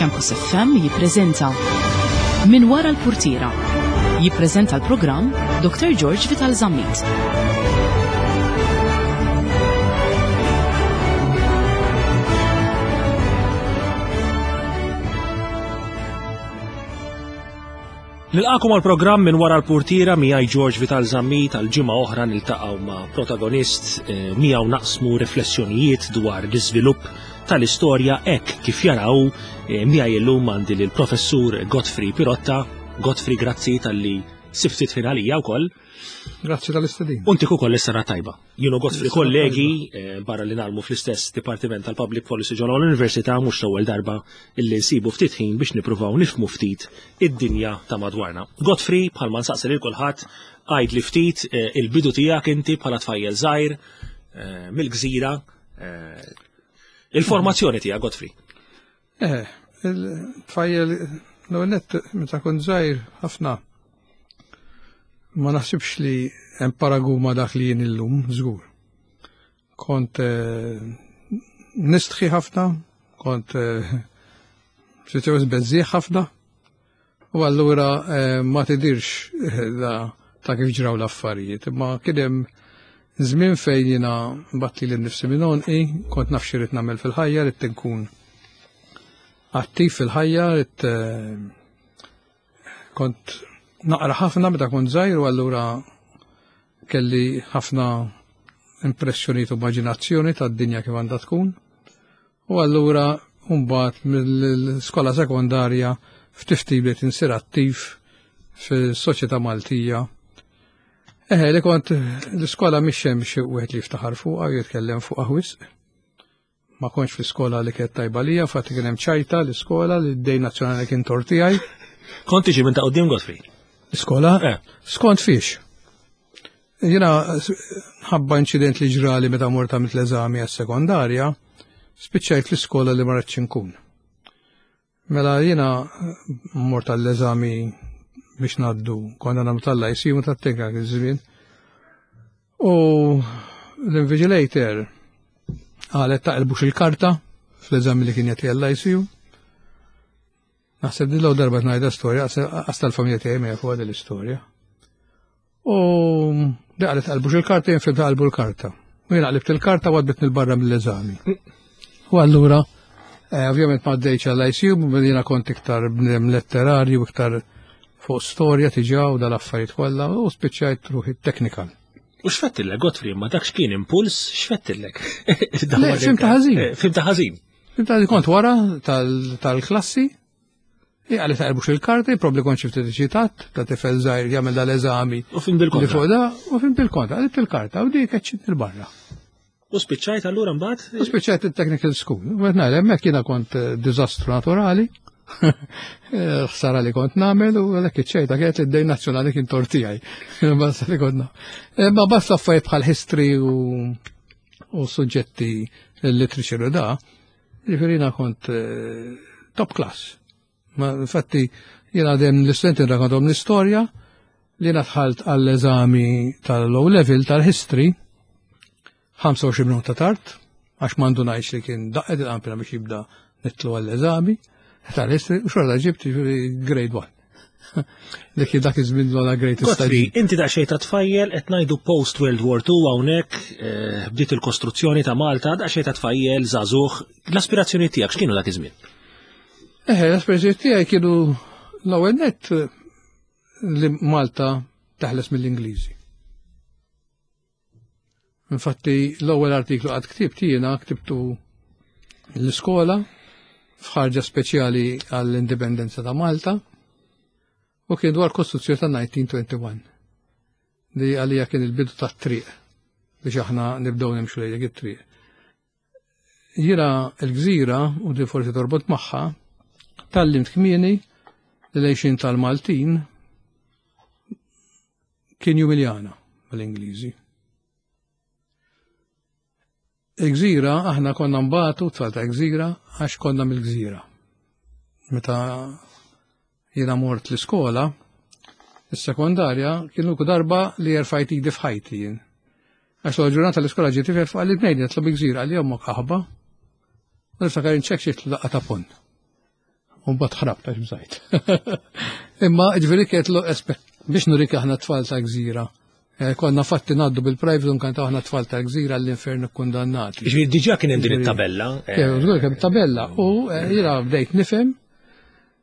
Campus FM jippreżenta Min wara l-purtiera. Jippreżenta l-programm Dr. George Vital Zammit. Nilqakom għal programm minn wara l-purtiera miegħi George Vital Zammit għal ġimgħa oħra niltaqgħu ma' protagonist eh, miegħu naqsmu riflessjonijiet dwar l-iżvilupp tal-istorja hekk kif jaraw eh, miegħi llum għandi lill professur Godfrey Pirotta. Godfrey, grazzi talli siftit ħin għalija wkoll. Grazzi tal-istedin. Untik ukoll is-sena tajba. Jienu Godfrey kollegi, eh, barra li nagħmlu fl-istess Dipartiment tal-Public Policy ġol l-Università mhux l-ewwel darba illi nsibu ftit ħin biex nippruvaw nifhmu ftit id-dinja ta' madwarna. Godfrey, bħalma nsaqsi lil kulħadd, għid li ftit eh, il-bidu tiegħek inti bħala tfajjel żgħir eh, mill-gżira il-formazzjoni tiegħek Godfrey. Eh, il-tfajjel l-ewwel meta kont żgħir ħafna ma naħsibx li hemm paragun ma' dak li jien illum, żgur. Kont eh, nistħi ħafna, kont eh, xi beżżieħ ħafna, u allura eh, ma tidirx ta' kif ġraw l-affarijiet, imma kien hemm żmien fejn jiena batti lil nifsi minn għonqi, kont naf xi nagħmel fil-ħajja, ridt inkun attiv fil-ħajja, ridt kont naqra ħafna meta kont żgħir u allura kelli ħafna impressjonijiet u immaġinazzjoni tad-dinja kif għandha tkun. U allura mbagħad mill-skola sekondarja ftit ftit bdejt insir attiv fis-soċjetà Maltija. Eħe, li kont l-iskola mhix hemm xi wieħed li jiftaħar fuqha u jitkellem fuqha wisq. Ma kontx fl-iskola li kienet tajba lija, infatti kien hemm ċajta l-iskola li d-dej nazzjonali kien tort tiegħi. Kont tiġi minn ta' quddiem Godfrey? Iskola? Eh. Skont fiex. Jiena ħabba inċident li ġrali meta mort għamilt l-eżami għas-sekondarja, spiċċajt l-iskola li ma rridx inkun. Mela jiena mort għall-eżami biex ngħaddu, konna nagħmlu tal-IC u tat-teknika iż-żmien. U l-invigilator qalet taqilbux il-karta fl-eżami li kien jagħti għall-ICU. Naħseb din l darba ngħidha storja, għasta l-familja tiegħi ma jafu l-istorja. U di qalet qalbux il-karta, jien fimta qalbu l-karta. U jien qlibt il-karta u għadbitni l-barra mill-eżami. U allura, eh, ovvjament ma għaddejċ għall-ICU, jiena kont iktar bnedem letterarju, iktar fuq storja tiġa u dal-affarijiet kollha u spiċċajt ruħi technical. U x'fettillek, Godfrey, ma dak x'kien impuls, x'fettillek? Fimta ħażin. Eh, fimta ħażin. Fimta li kont wara tal-klassi, għalli taqrbux il-karti, probabli kont xifti ċitat, ta' tifel żgħir jagħmel dal-eżami. U fim bil-kontra. Li fuq da, u fim bil-kontra, għalli il-karta, u dik eċċit il-barra. U spiċċajt allura mbagħad? U spiċċajt il-technical school. U qed ngħid hemmhekk jiena kont eh, diżastru naturali. Eh, ħsara li kont nagħmel u għalhekk iċ-ċejta kienet li d-dejn nazzjonali kien tortijaj. Basta li kont eh, Ma basta affarijiet bħal history u u suġġetti literature u da, ġifieri jiena kont eh, top class. Ma infatti jiena għadem l-istudenti nrakontom l-istorja li jiena dħalt għall-eżami tal-low level tal-history 25 minuta tard, għax mandu ngħidx li kien daqqet il-qampina biex jibda nitlu għall-eżami tal-history u xorta ġibt ġifieri grade 1. Li kien dak iż-żmien l great Godfrey, inti daqsxejn ta' tfajjel qed ngħidu post World War II hawnhekk eh, bdiet il-kostruzzjoni ta' Malta, daqsxejn ta' tfajjel żagħżugħ, l-aspirazzjoni tiegħek x'kienu dak iż-żmien? Eh, l-aspirazzjoni tiegħi kienu l-ewwel nett li Malta teħles mill-Ingliżi. Infatti l-ewwel artiklu qatt ktibt jiena ktibtu l-iskola f'ħarġa speċjali għall-indipendenza ta' Malta u kien dwar kostruzzjoni ta' 1921 li għalija kien il-bidu tat-triq biex aħna nibdew nimxu lejn dik it-triq. Jiena l-gżira u di forsi torbot magħha tgħallimt kmieni li l-għixien tal-Maltin kien jumiljana mal-Ingliżi. Il-gżira aħna konna nbatu tfal ta' gżira għax konna mill-gżira. Meta jiena mort l-iskola, is-sekondarja kienu darba li jerfajt idi f'ħajti jien. Għax l ġurnata l-iskola ġiet tifel fuq għalli tnejn jitlu bi gżira għalli ommok aħba. U niftakar inċek xi daqqa ta' pon. U mbagħad ħrabt għax bżajt. Imma ġifieri kienet biex nurik aħna tfal ta' gżira. Eh, konna fatti ngħaddu bil-private un kanta aħna tfal ta' gżira l-infern kundannati. Ġifieri diġà kien hemm din it-tabella. Eh, żgur kemm tabella u eh, jiena bdejt nifhem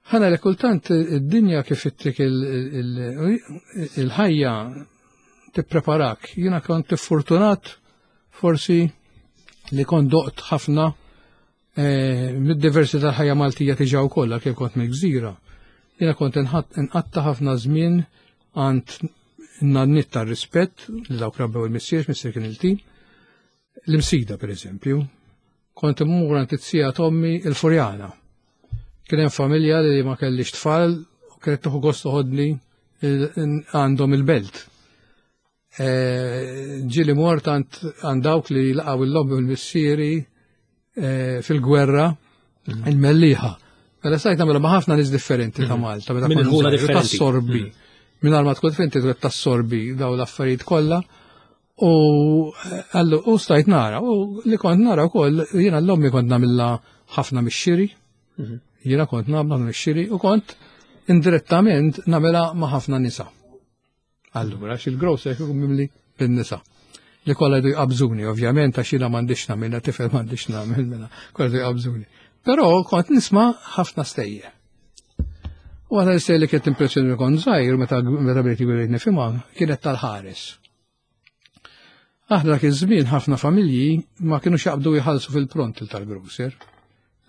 ħana li kultant id-dinja kif ittik il-ħajja tippreparak. Jiena kont fortunat forsi li kont doqt ħafna eh, mid-diversi tal-ħajja Maltija tiġa wkoll kif kont mill-gżira. Jiena kont inqatta ħafna żmien għand nannit tar-rispett li dawk rabbew il-missier, missier kien il-tim. L-imsida per eżempju, kont immur għand it-sija tommi il-Furjana. Kien hemm familja li ma kellix tfal u kienet tieħu gost toħodni għandhom il-belt. Eh, ġieli mort għand dawk li laqgħu l-lobby u l-missieri eh, fil-gwerra mhm. il-Mellieħa. Mela stajt nagħmilha ma' ħafna nies differenti ta' mhm. Malta, meta kont ħula differenti. Tassorbi. Mhm. Mingħajr ma tkun differenti trid tassorbi daw l-affarijiet kollha. U eh, għallu u stajt nara, u li kont nara wkoll jiena l-ommi kont nagħmilha ħafna mix-xiri. Jiena kont nagħmel mix-xiri u kont indirettament nagħmilha ma' ħafna nisa. Allura, għax il-grocer ikun mimli bin-nisa. Li kollha jdu jqabżuni, ovvjament, għax jiena m'għandix nagħmilha, tifel m'għandix nagħmel mela, kollha jdu jqabżuni. Però kont nisma' ħafna stejjer. U għana l-istejjer li kienet impressjoni kont żgħir meta meta bdejt jgħid nifhimha kienet tal-ħares. Aħna dak iż-żmien ħafna familji ma kinux jaqbdu jħallsu fil-pront tal-grocer.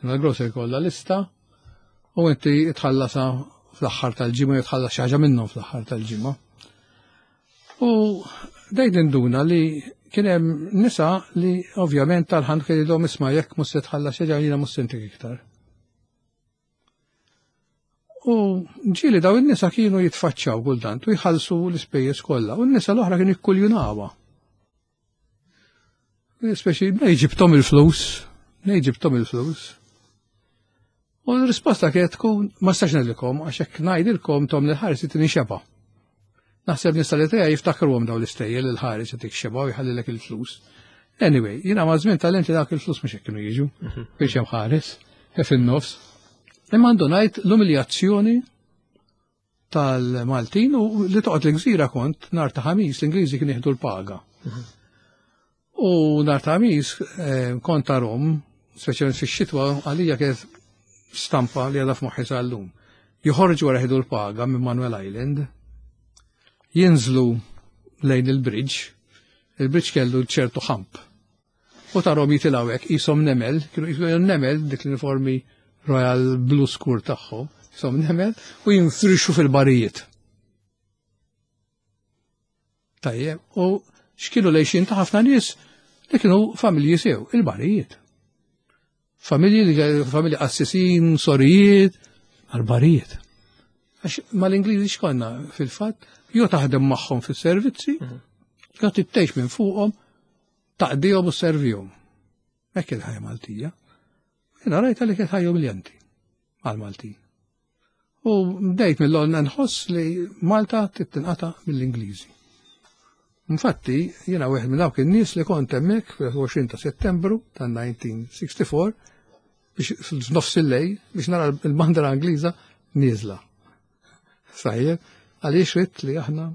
Il-grocer kollha lista u inti tħallasha fl-aħħar tal-ġimgħa jew tħallas xi ħaġa minnhom fl-aħħar tal-ġimgħa. U dejt induna li kien hemm nisa li ovvjament tal-ħan kien jidhom isma' jekk mhux se tħallas xi ħaġa jiena mhux se ntik iktar. U ġieli daw in-nisa kienu jitfaċċaw kultant u jħallsu l-ispejjeż kollha u n-nisa l-oħra kienu jikkuljunawha. Speċi, nej ġibtom il-flus, nej ġibtom il-flus. U l-risposta kienet tkun, ma stax ngħidilkom, għax hekk ngħidilkom tom li ħares tini xeba. Naħseb nista li tiegħi jiftakruhom daw l-istejjer li l-ħares itik xeba u jħallilek il-flus. Anyway, jiena ma' żmien tal li dak il-flus mhux hekk kienu jiġu, mhm. biex hemm ħares, fin-nofs. Imma għandu ngħid l-umiljazzjoni tal-Maltin u li toqgħod l-gżira kont nar ta' ħamis l-Ingliżi kien jieħdu l-paga. U nar ta' ħamis eh, kont ta' Rom, speċjalment fix-xitwa għalija kienet stampa li għadha f'moħħi sal-lum. Joħorġu wara jieħdu l-paga minn Manuel Island, jinżlu lejn il-bridge, il-bridge kellu ċertu ħamp U tarhom jitilgħu hekk qishom nemel, kienu qishom nemel dik l-uniformi Royal Blue Skur tagħhom, qishom nemel u jinfrixu fil-barijiet. Tajjeb, u x'kienu lejxin ta' ħafna nies li kienu familji sew, il-barijiet. Familji li familji qassisin, sorijiet, għal-barijiet. Għax mal-Ingliżi x'konna fil-fatt, jew taħdem magħhom fis-servizzi, mhm. jew tittejx minn fuqhom taqdihom u servihom. Hekk il-ħajja Maltija. Jiena rajta li kienet ħajja umiljanti għal-Maltin. U bdejt mill-għolna nħoss li Malta tittinqata mill-Ingliżi. Infatti, jiena wieħed minn dawk in-nies li kont hemmhekk fil-20 ta' Settembru ta' 1964 biex f'nofs il-lej biex nara l-bandra Ingliża nieżla. Sajjeb, għaliex ridt li aħna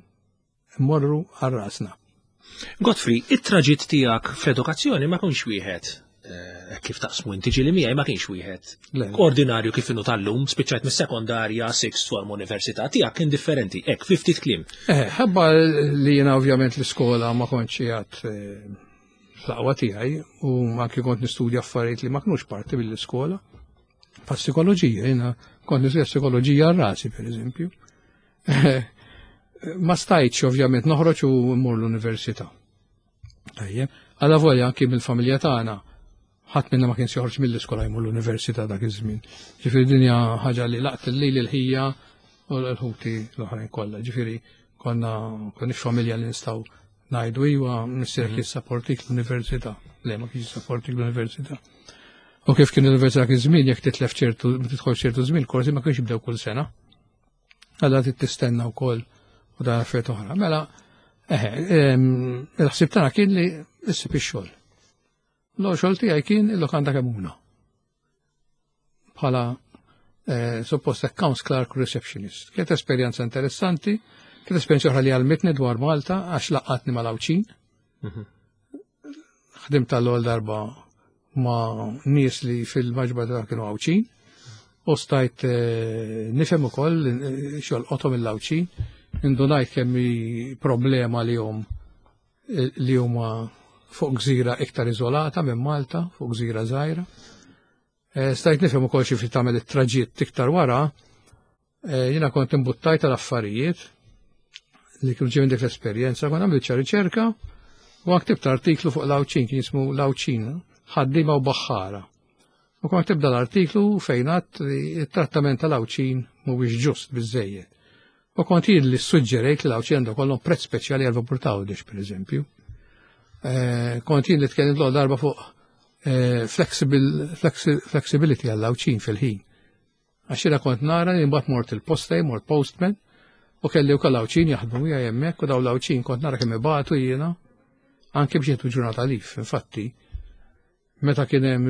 Immorru għal rasna. Godfrey, it-traġitt tiegħek fl-edukazzjoni ma kienx wieħed eh, kif taqsmu inti ġieli miegħi ma kienx wieħed ordinarju kif inhu tal-lum, spiċċajt mis-sekondarja, sixth form università tiegħek kien differenti, hekk fi ftit kliem. Eh, ħabba li jiena ovvjament l-iskola ma kontx qiegħed eh, fl-aqwa tiegħi u anki kont nistudja affarijiet li ma kinux parti mill-iskola. Pa psikoloġija, jiena kont nistudja psikoloġija għal rasi per eżempju. Ma stajtx ovvjament noħroġ u mmur l-università. Tajjeb, għala volja anki mill-familja tagħna ħadd minna ma kienx joħroġ mill-iskola jmur l-università dak iż-żmien. Ġifieri din hija ħaġa li laqt lili l-ħija u l-ħuti l-oħrajn kollha. Ġifieri konna konniex familja li nistgħu ngħidu iwa missierek mhm. jissapportik l-università. Le ma kienx jissapportik l-università. U kif kien l-università kien żmien jekk titlef ċertu tidħol ċertu żmien korsi ma kienx jibdew kull sena. Għalla trid tistenna wkoll u dan affarijiet oħra. Mela, eħe, il-ħsieb tagħna kien li issib ix-xogħol. L-xogħol tiegħi kien il-lokanda Kemuna. Bħala Suppost accounts clerk receptionist. Kienet esperjenza interessanti, kienet esperjenza oħra li għallmitni dwar Malta għax laqqatni mal-Għawdxin. Ħdimt tal-ewwel darba ma' nies li fil-maġba ta' kienu Għawdxin u stajt nifhem ukoll x'jolqothom il-Għawdxin, indunajt kemm hi problema li hum li huma fuq gżira iktar iżolata minn Malta, fuq gżira żgħira. Stajt nifhem ukoll xi ftit tagħmel it-traġitt iktar wara, jiena kont imbuttajt tal-affarijiet li kienu ġejjin dik l-esperjenza, kont għamilt xi riċerka u ktibt artiklu fuq l-Għawdxin kien jismu l-Għawdxin, ħaddiema u baħħara. U kont tibda l-artiklu fejn għadt li t-trattament tal-Għawdxin mhuwiex ġust biżejjed. U kont jien li suġġerejt li l-Għawdxin għandu kollhom prezz speċjali għal vapur ta' Għawdex, pereżempju. Kont jien li tkellimt l darba fuq flexibility għall-Għawdxin fil-ħin. Għax jiena kont nara li mbagħad mort il-posta, mort postman, u kelli wkoll Għawdxin jaħdmu miegħi hemmhekk u dawn l-Għawdxin kont nara kemm ibatu jiena anke biex jieħdu ġurnata lif. Infatti, meta kien hemm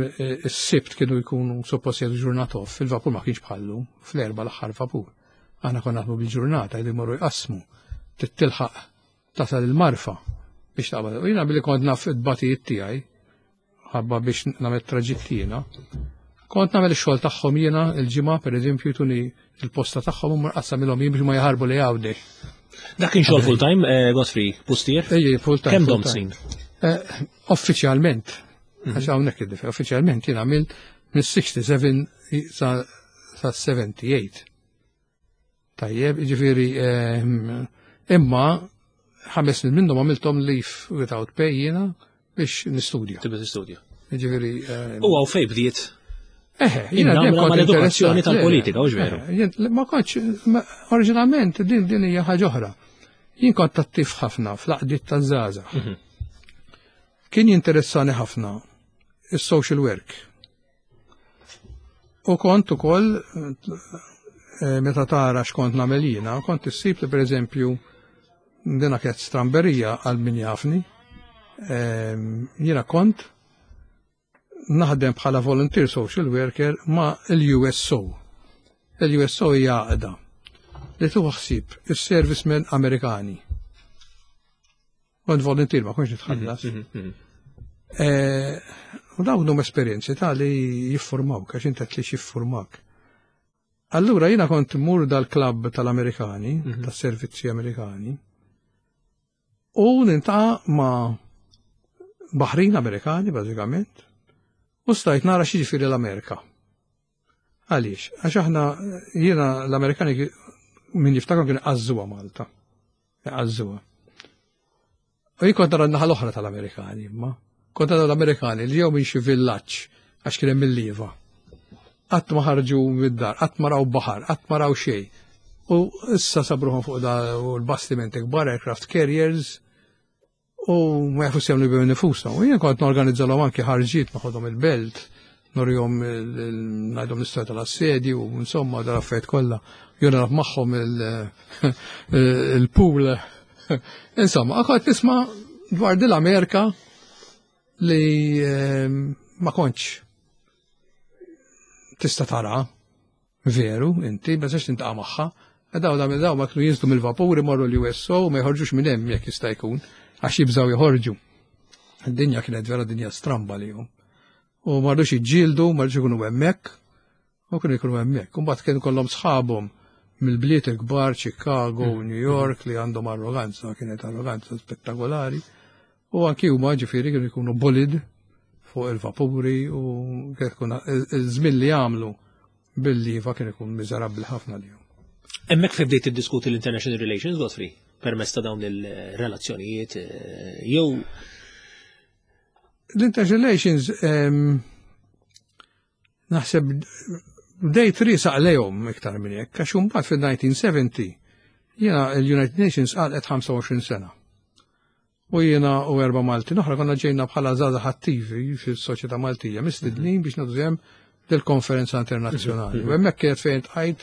is-Sibt kienu jkunu suppost jieħdu ġurnata off, il-vapur ma kienx bħallu fl-erba' l-aħħar vapur. Aħna konna naħdmu bil-ġurnata, jridu jmorru jqassmu, titilħaq tasal il-marfa biex taqbad. U jiena billi kont naf it-tbatijiet tiegħi, ħabba biex nagħmel traġitt jiena, kont nagħmel ix-xogħol tagħhom jiena il-ġimgħa pereżempju tuni il-posta tagħhom u mqassamilhom jien biex ma jaħarbu li Għawdex. Dak kien xogħol full time, Godfrey, pustier? Ejja, full time. Kemm domt snin? Uffiċjalment, għax hawnhekk id uffiċjalment jien għamilt mis-67 sa 78. Tajjeb, jiġifieri imma 5 snin minnhom għamilthom leave without pay jiena biex nistudja. Tibda tistudja. Jiġifieri. U għaw fej bdiet? Eħe, jiena dejjem kont mal-edukazzjoni tal-politika, u veru. Ma kontx, oriġinalment din hija ħaġa oħra. Jien kont attiv ħafna fl-għaqdiet taż-żgħażagħ. Kien jinteressani ħafna is-social work. U kont ukoll meta tara x'kont nagħmel jiena, kont issib li pereżempju dina kienet stramberija għal min jafni. Jiena kont naħdem bħala volunteer social worker ma' l-USO. Il-USO hija għaqda li tieħu ħsieb is-servicemen Amerikani. Kont volunteer, ma kontx nitħallas. U dawn huma esperjenzi ta' li jiffurmawk, għax inti li jiffurmak. Allura jiena kont mur dal-klabb tal-Amerikani, tas-servizzi Amerikani, u niltaqa' ma' baħrin Amerikani, bażikament, u stajt nara x'jiġifieri l-Amerika. Għaliex? Għax aħna jiena l-Amerikani min jiftakar kienu għażżuha Malta. Għażżuha. U jien kont nara n-naħa l-oħra tal-Amerikani, imma kont nara l-Amerikani li ġew minn xi villaġġ għax kien hemm il-lieva. Qatt ma ħarġu mid-dar, qatt ma raw baħar, qatt ma raw xejn. U issa sabruhom fuq da l-bastimenti kbar, aircraft carriers, u ma jafux jagħmlu bihom nifushom. U jien kont norganizzalhom anki ħarġiet noħodhom il-belt, norihom ngħidhom l-istorja tal-assedju, u insomma dal-affarijiet kollha. Jew nilgħab magħhom il-pool. Insomma, kont nisma' dwar din l-Amerika li ma kontx tista' tara veru, inti, ma tistax tintaqa' magħha. Daw daw daw ma kienu jinżlu mill-vapuri morru l-USO u ma jħorġux minn hemm jekk jista' jkun, għax jibżgħu joħorġu. Id-dinja kienet vera dinja stramba li jum. U ma rridux jiġġieldu, ma rridux ikunu hemmhekk, u kienu jkunu hemmhekk. U mbagħad kienu kollhom sħabhom mill-bliet il-kbar, Chicago, New York, li għandhom arroganza, kienet arroganza spettakolari. U anki huma ġifieri kienu jkunu bullied fuq il-vapuri u kienet tkun il-żmien li għamlu bil-liva kien ikun miżerabbli ħafna li. Hemmhekk fejn bdejt tiddiskuti l-international relations, Godfrey, permezz ta' dawn il-relazzjonijiet, jew L-international relations naħseb bdejt risaq lejhom iktar minn hekk, għax imbagħad fil-1970 jiena l-United Nations għalqet 25 sena. U jiena u 4 Maltin oħra konna ġejna bħala żgħażagħ attivi fis-soċjetà Maltija mistednin biex nagħtu sehem dil-konferenza internazzjonali. U hemmhekk kienet fejn tqajt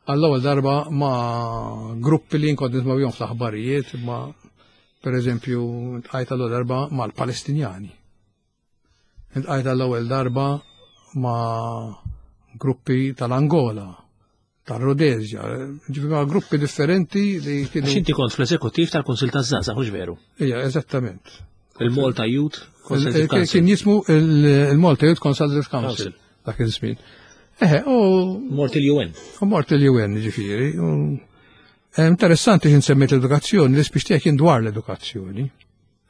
għall-ewwel darba ma' gruppi li kont nisma' bihom fl-aħbarijiet, ma' pereżempju tqajt għall-ewwel darba mal-Palestinjani. Iltqajt għall-ewwel darba ma' gruppi tal-Angola, tal-Rhodesia, ġifieri gruppi differenti li kienu. Għax inti kont fl-eżekuttiv tal-Kunsil taż-Żgħażagħ, mhux veru? Ija, eżattament. Il-Malta Youth Consultative Council. Kien jismu il-Malta Youth Consultative Council dak iż-żmien. Eħe, u. Mort il-UN. U mort il-UN, ġifieri. Eh, interessanti xin semmejt l-edukazzjoni, l-ispiex tiegħek kien dwar l-edukazzjoni.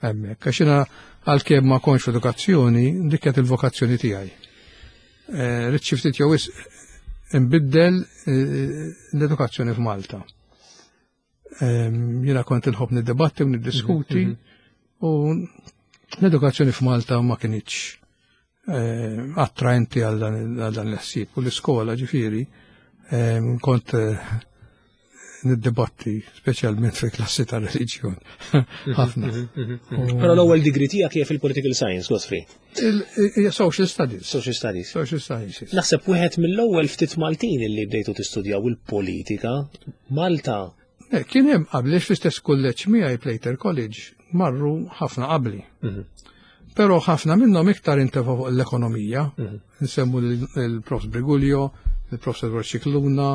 Hemmhekk, għax jiena għalkemm ma kontx f'edukazzjoni, dik kienet il-vokazzjoni tiegħi. Eh, ridt xi ftit jew wisq inbiddel eh, l-edukazzjoni f'Malta. Ehm, jiena kont inħobb niddebatti u niddiskuti mhm, mhm. u l-edukazzjoni f'Malta ma kinitx eh, attraenti għal dan l-ħsieb u l-iskola ġifieri ehm, kont niddebatti, speċjalment fi klassi ta' reliġjon. Ħafna. Però l-ewwel degree tiegħek hija fil-political science, Godfrey. Social studies. Social studies. Social studies. Naħseb wieħed mill-ewwel ftit Maltin li bdejtu tistudjaw il-politika Malta. Kien hemm qabli fl-istess kulleġġ miegħi Plater College marru ħafna qabli. Mhm. Però ħafna minnhom iktar intefgħu fuq l-ekonomija. Mhm. Nsemmu l-Prof Briguglio, il-Prof Edward Scicluna,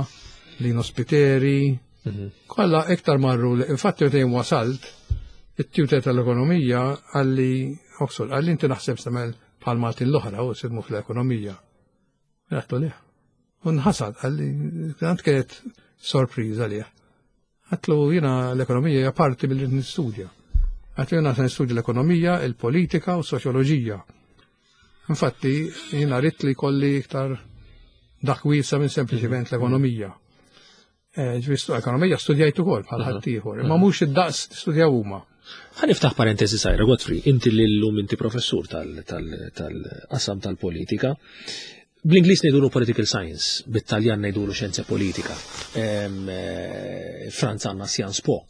Lino Spiteri. Mhm. Kollha iktar marru, infatti meta jien wasalt, it-tutor tal-ekonomija għalli Oxford, għalli inti naħseb semel bħal Maltin l-oħra u sidmu fl-ekonomija. Għattu liħ. U nħasad, għalli, għant kienet sorpriża liħ. Għatlu jiena l-ekonomija hija parti mill nistudja. Għatlu jiena se nistudja l-ekonomija, il-politika u s-soċjoloġija. Infatti, jiena rrid li jkolli iktar dak wiesa minn sempliċiment l-ekonomija. Eh, ġifieri ekonomija studjajt ukoll bħal ħaddieħor, imma mhux id-daqs studjaw huma. Ħa niftaħ parentesi sajra, Godfrey, inti li llum inti professur tal-qasam tal-politika. Bl-Ingliż ngħidulu political science, bit-Taljan ngħidulu xjenza politika. Eh, Franza għandna science po.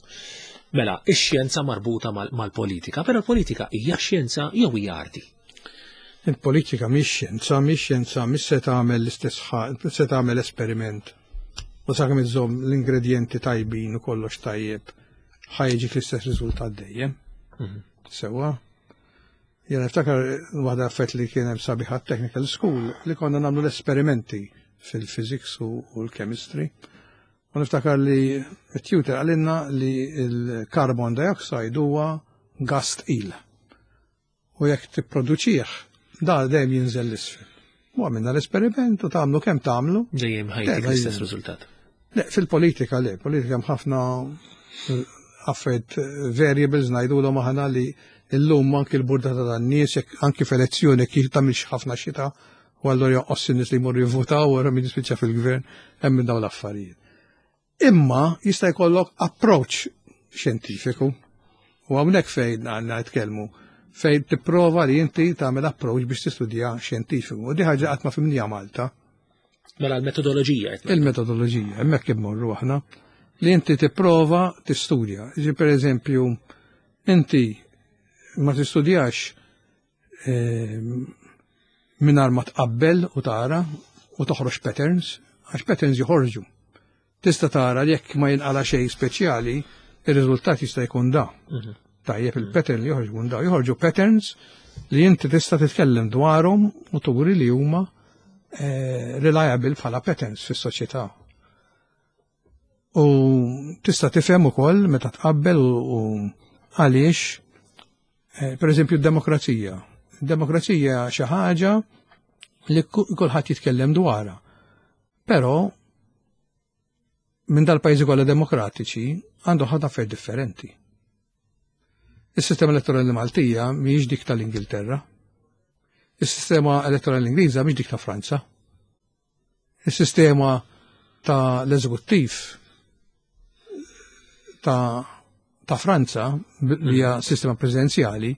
Mela, ix-xjenza marbuta mal-politika, però l-politika hija xjenza jew hija arti? Il-politika mhix xjenza, mhix xjenza, mhix se tagħmel l-istess se tagħmel esperiment. U sakemm iżżomm l-ingredjenti tajbin u kollox tajjeb, ħajġik l-istess riżultat dejjem. Mhm. Sewwa. Jena niftakar waħda affett li kien hemm sabiħa technical school li konna nagħmlu l-esperimenti fil-physics u l-chemistry. U niftakar li t-tutor għalinna li l-carbon dioxide huwa gas tqil. U jekk tipproduċih, da dejjem jinżel l-isfel. U għamilna l-esperiment u tagħmlu kemm tagħmlu. Dejjem ħajtik l-istess riżultat. Le, fil-politika le, politika hemm ħafna eh, affarijiet eh, variables ngħidulhom aħna li llum anki l-burdata tan-nies, anki f'elezzjoni kif tagħmilx ħafna xita, u allura jonqos in-nies li jmorru jivvutaw wara min jispiċċa fil-gvern hemm minn dawn l-affarijiet. Imma jista' jkollok approach xjentifiku. U hawnhekk fejn għandna nitkellmu fejn tipprova li inti tagħmel approach biex tistudja xjentifiku. U di ħaġa qatt ma fimnija Malta. Mela l-metodoloġija. Il-metodoloġija, hemmhekk immorru aħna li inti tipprova tistudja. Ġi per eżempju, inti ma tistudjax eh, mingħajr ma tqabbel u tara u toħroġ patterns, għax patterns joħorġu. Tista' tara li jekk ma jinqala xejn speċjali, ir-riżultat jista' jkun da. Mhm. Tajjeb il-pattern li joħorġ jkun da. Joħorġu patterns li inti tista' titkellem dwarhom u turi li huma eh, reliable bħala patterns fis-soċjetà. U tista' tifhem ukoll meta tqabbel u għaliex eh, per eżempju d-demokrazija. Demokrazija xi ħaġa li kulħadd jitkellem dwarha. Però minn dal-pajjiżi kollha demokratiċi għandu ħafna affarijiet differenti. Is-sistema elettorali Maltija mhijiex dik tal-Ingilterra. Is-sistema elettorali Ingliża mhix dik ta' Franza. Is-sistema ta' l-eżekuttiv ta' ta' Franza li hija sistema presidenzjali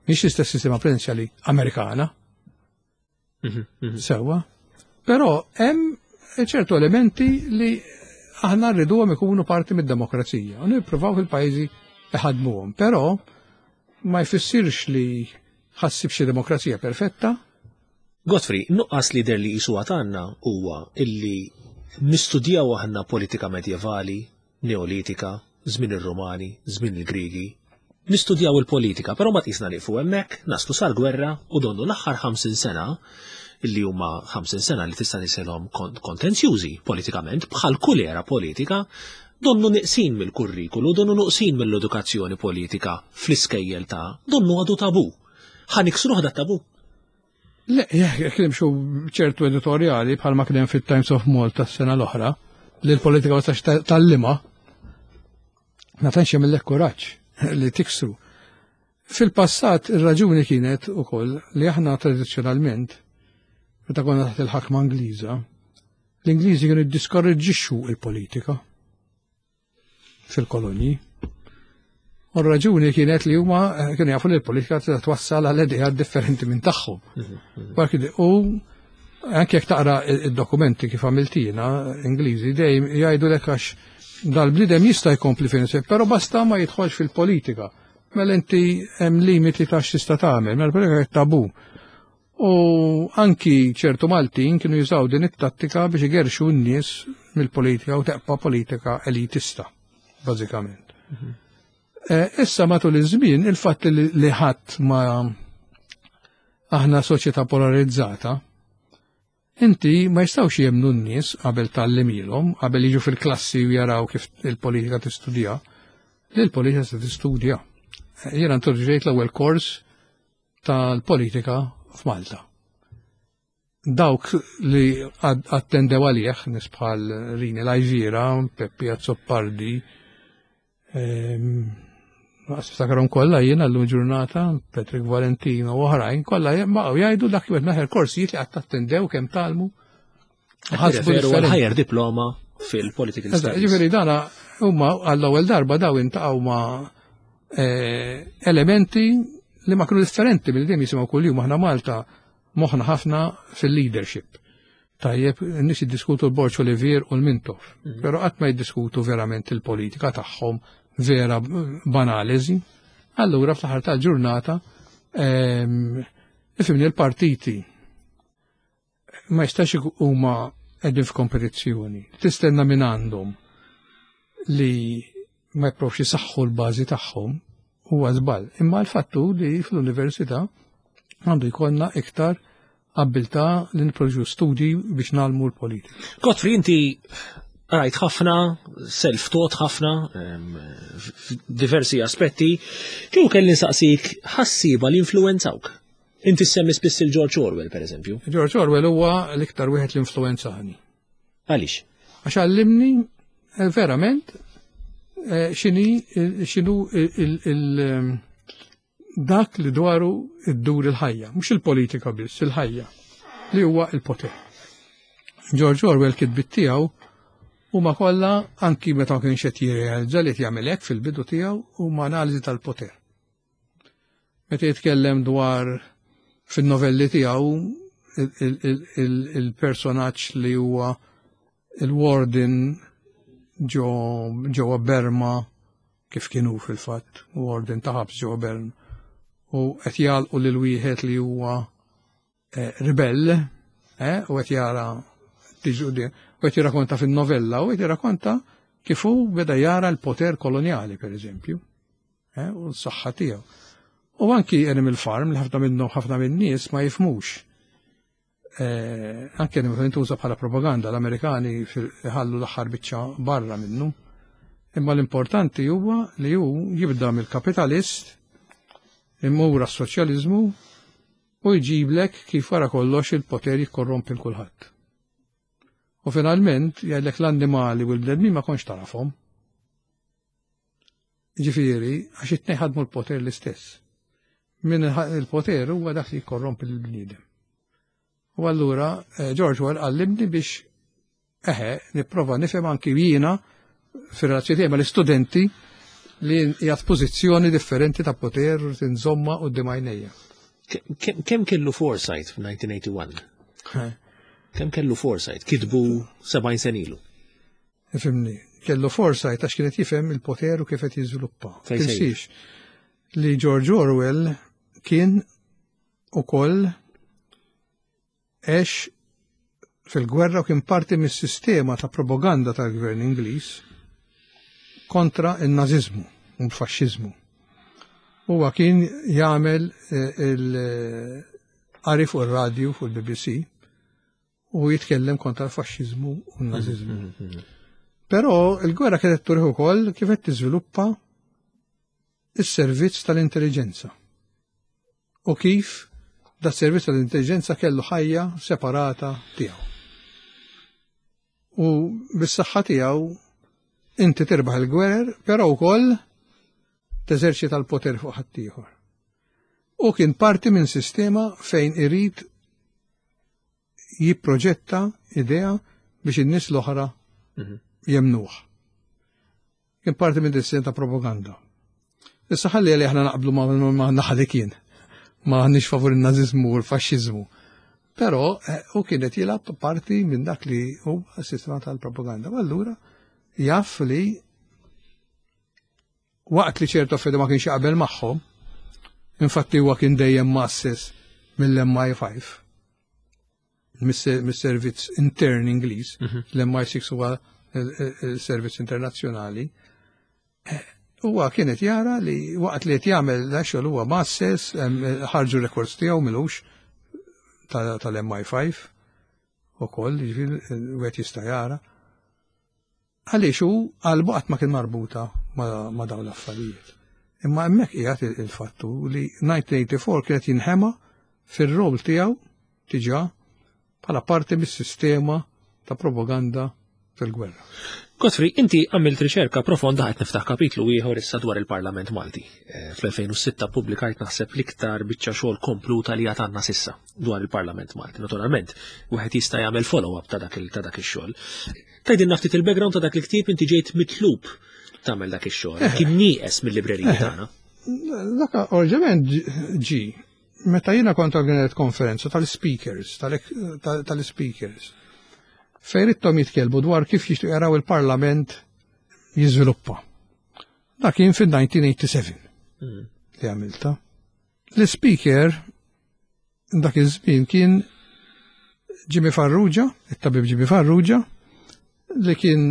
mhix l-istess sistema presidenzjali Amerikana. Mhm, mhm. Sewwa. Però hemm ċertu elementi li aħna rriduhom ikunu parti mid-demokrazija u nippruvaw fil-pajjiżi iħadmuhom. Però ma jfissirx li ħassib xi demokrazija perfetta. Godfrey, nuqqas li der li jisu għatanna huwa illi nistudjaw aħna politika medjevali, Neolitika, żmien ir-Rumani, żmien il-Griegi. Nistudjaw il-politika, però ma tqisna nieqfu hemmhekk, naslu sal-gwerra u donnu l-aħħar 50 sena illi huma 50 sena li tista' niselhom kontenzjużi politikament bħal kull era politika, donnu neqsin mill-kurrikulu, donnu neqsin mill-edukazzjoni politika fl-iskejjel ta' donnu għadu tabu. Ħa niksruh dat tabu? Le, jekk nimxu ċertu editorjali bħalma kien hemm fit-Times of Malta s-sena l-oħra, li l-politika ma tistax tgħallimha, ma tantx jagħmillek kuraġġ li tiksru. Fil-passat ir-raġuni kienet ukoll li aħna tradizzjonalment meta konna taħt il-ħakma Ingliża, l-Ingliżi kienu jiddiskoraġġixxu il-politika fil-kolonji. U r-raġuni kienet li huma eh, kienu jafu li l-politika tista' twassal għal idea differenti minn tagħhom. Mhm, mhm. U anke jekk taqra id-dokumenti kif għamiltina Ingliżi dejjem jgħidu lek għax dal-bniedem jista' jkompli fejn però basta ma jidħolx fil-politika. Mela inti hemm limiti ta' x'tista' tagħmel, mela l-politika tabu. U anki ċertu Maltin kienu jużaw din it-tattika biex igerxu n-nies mill-politika u teqpa politika elitista, bażikament. Mhm. Eh, issa matul iż-żmien il-fatt li ħadd ma aħna soċjetà polarizzata, Inti ma jistgħux jemmnu n-nies qabel tgħallimilhom, qabel jiġu fil-klassi u jaraw kif il-politika tistudja, li l-politika se tistudja. Jiena introduċejt l-ewwel kors tal-politika f'Malta. Dawk li attendew għalih, nies bħal Rini Lajvira, Peppi Azzopardi, Naqas niftakarhom kollha jien għallum ġurnata, Patrick Valentino u oħrajn, kollha baqgħu jgħidu dak li naħer korsijiet li qatt attendew kemm talmu. Ħasbu ħajjer diploma fil-political studies. Ġifieri dana huma għall-ewwel darba daw intaqgħu ma' eh, elementi li ma kienu differenti mill dejjem jisimgħu kuljum aħna Malta moħħna ħafna fil-leadership. Tajjeb, n-nies jiddiskutu l-Borġ Olivier u l-Mintoff, mhm. però qatt ma jiddiskutu verament il-politika tagħhom vera b'analiżi. Allura fl-aħħar tal-ġurnata ehm, ifimni l-partiti ma jistax huma qegħdin f'kompetizzjoni. Tistenna minn għandhom li ma jipprofx jisaħħu l-bażi tagħhom huwa żball. Imma l-fattu li fl-università għandu jkollna iktar abbiltà li nipproduċu studji biex nagħlmu l-politika. Godfrey, inti rajt ħafna, self-taught ħafna, diversi aspetti, kieku kelli nsaqsik ħassiba li influenzawk. Inti semmi spiss il-George Orwell, per eżempju. George Orwell huwa l-iktar wieħed li influenzani. Għaliex? Għax għallimni eh, verament eh, xini eh, xinu il dak li dwaru iddur il-ħajja, mhux il-politika biss, il-ħajja, li huwa il-poter. George Orwell kitbit tiegħu huma kollha anki meta ma kienx qed jirrealizza li qed jagħmel hekk fil-bidu tiegħu huma analiżi tal-poter. Meta jitkellem dwar fin-novelli tiegħu il-personaġġ li huwa il-warden ġewwa Berma kif kienu fil-fatt, warden ta' ħabs ġewwa Berma. U qed jagħlqu lil wieħed li huwa eh, ribell, eh, u qed jara tiġu u qed jirrakonta fin-novella u qed jirrakonta kif hu beda jara l-poter kolonjali, per eżempju, eh, u s-saħħa tiegħu. U anki Animal Farm li ħafna minnhom ħafna minn nies ma jifmux. Eh, anke Animal Farm intuża bħala propaganda l-Amerikani ħallu l-aħħar biċċa barra minnu. Imma l-importanti huwa li hu jibda mill-kapitalist imur għas-soċjaliżmu u jġiblek kif wara kollox il-poter jikkorrompi l kulħadd. U finalment jgħidlek l-annimali u l-bnedmin ma kontx tarafhom. Ġifieri, għax it-tnejn ħadmu l-poter l-istess. Min il-poter huwa dak li jikkorrompi l-bniedem. U allura eh, George Orwell għallimni biex eħe nipprova nifhem anki jiena fir-relazzjoni tiegħi mal-istudenti li qiegħed pożizzjoni differenti ta' poter u tinżomma quddiem għajnejja. Kemm kellu foresight f'1981? Kemm kellu foresight? Kitbu 70 sen ilu. Ifimni, kellu foresight għax kienet jifhem il-poter u kif qed jiżviluppa. Tinsiex li George Orwell kien ukoll għex fil-gwerra u kien parti mis-sistema ta' propaganda tal-gvern Ingliż kontra n-naziżmu u l-faxxiżmu. Huwa kien jagħmel eh, qari fuq ir-radju fuq il-BBC u jitkellem kontra l-faxxiżmu u n-naziżmu. Però il-gwerra kienet turih ukoll kif qed tiżviluppa is-servizz tal-intelligenza. U kif da servizz tal-intelligenza kellu ħajja separata tiegħu. U bis-saħħa tiegħu inti tirbaħ il-gwerer, però wkoll teżerċita l-poter fuq ħaddieħor. U kien parti minn sistema fejn irid jipproġetta idea biex in-nies l-oħra jemnuh. Kien parti minn sistema ta' propaganda. Issa ħalli li aħna naqblu ma' naħa li kien. Ma għandniex favur il-naziżmu u l-faxxiżmu. Però eh, u kienet jilgħab parti minn dak li hu sistema tal-propaganda. U allura jaf li waqt li ċertu affarijiet ma kienx jaqbel magħhom, infatti huwa kien dejjem masses mill-MI5 mis-servizz intern Ingliż, l-MI6 huwa il-servizz internazzjonali, eh, huwa kienet jara li waqt li qed jagħmel da xogħol huwa masses, ħarġu records tiegħu milux tal-MI5 ukoll, jiġifieri wieħed jista' jara. Għaliex hu qalbu qatt ma kien marbuta ma' dawn l-affarijiet. Imma hemmhekk qiegħed il-fattu li 1984 kienet jinħema fir-rol tiegħu diġà bħala parti mis-sistema ta' propaganda fil-gwerra. Godfrey, inti għamilt riċerka profonda qed niftaħ kapitlu ieħor issa dwar il-Parlament Malti. Eh, fl-2006 pubblikajt naħseb l-iktar biċċa xogħol kompluta li għad għandna sissa dwar il-Parlament Malti. Naturalment, wieħed jista' jagħmel follow-up ta' dak ix-xogħol. Tgħidilna ftit il-background ta' dak il-ktieb inti ġejt mitlub tagħmel dak ix-xogħol. Eh. Kien nieqes mill-librerija eh. tagħna. Dak orġament ġi meta jiena kont organizzat konferenza tal-speakers, tal-speakers, fejn ridthom jitkellmu dwar kif jixtiequ jaraw il-Parlament jiżviluppa. Dak kien fil-1987 li għamilta. L-speaker dak iż-żmien kien Jimmy Farrugia, it-tabib Jimmy Farrugia, li kien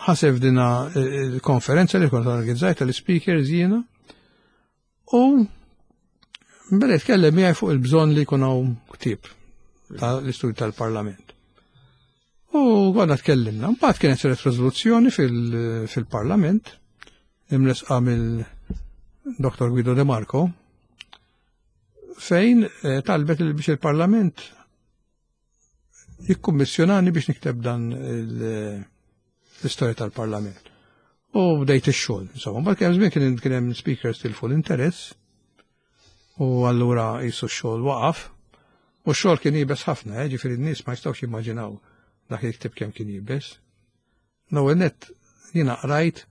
ħaseb dina il-konferenza li kont organizzajt tal-speakers jiena. U beda jitkellem miegħi fuq il-bżonn li jkun hawn ktieb tal-istudju tal-Parlament. U għadna tkellimna. Mbagħad kienet saret riżoluzzjoni fil-Parlament imresqa mill-Dr. Guido De Marco fejn eh, talbet biex il-Parlament jikkummissjonani biex nikteb dan l-istorja tal-Parlament. U bdejt ix-xogħol. Insomma, mbagħad kien żmien kien kien hemm speakers tilfu l-interess u allura jisu x-xogħol waqaf. U x-xogħol kien jibes ħafna, eh, ġifieri n-nies ma jistgħux jimmaġinaw dak il-ktib kemm kien jibes. L-ewwel nett jiena qrajt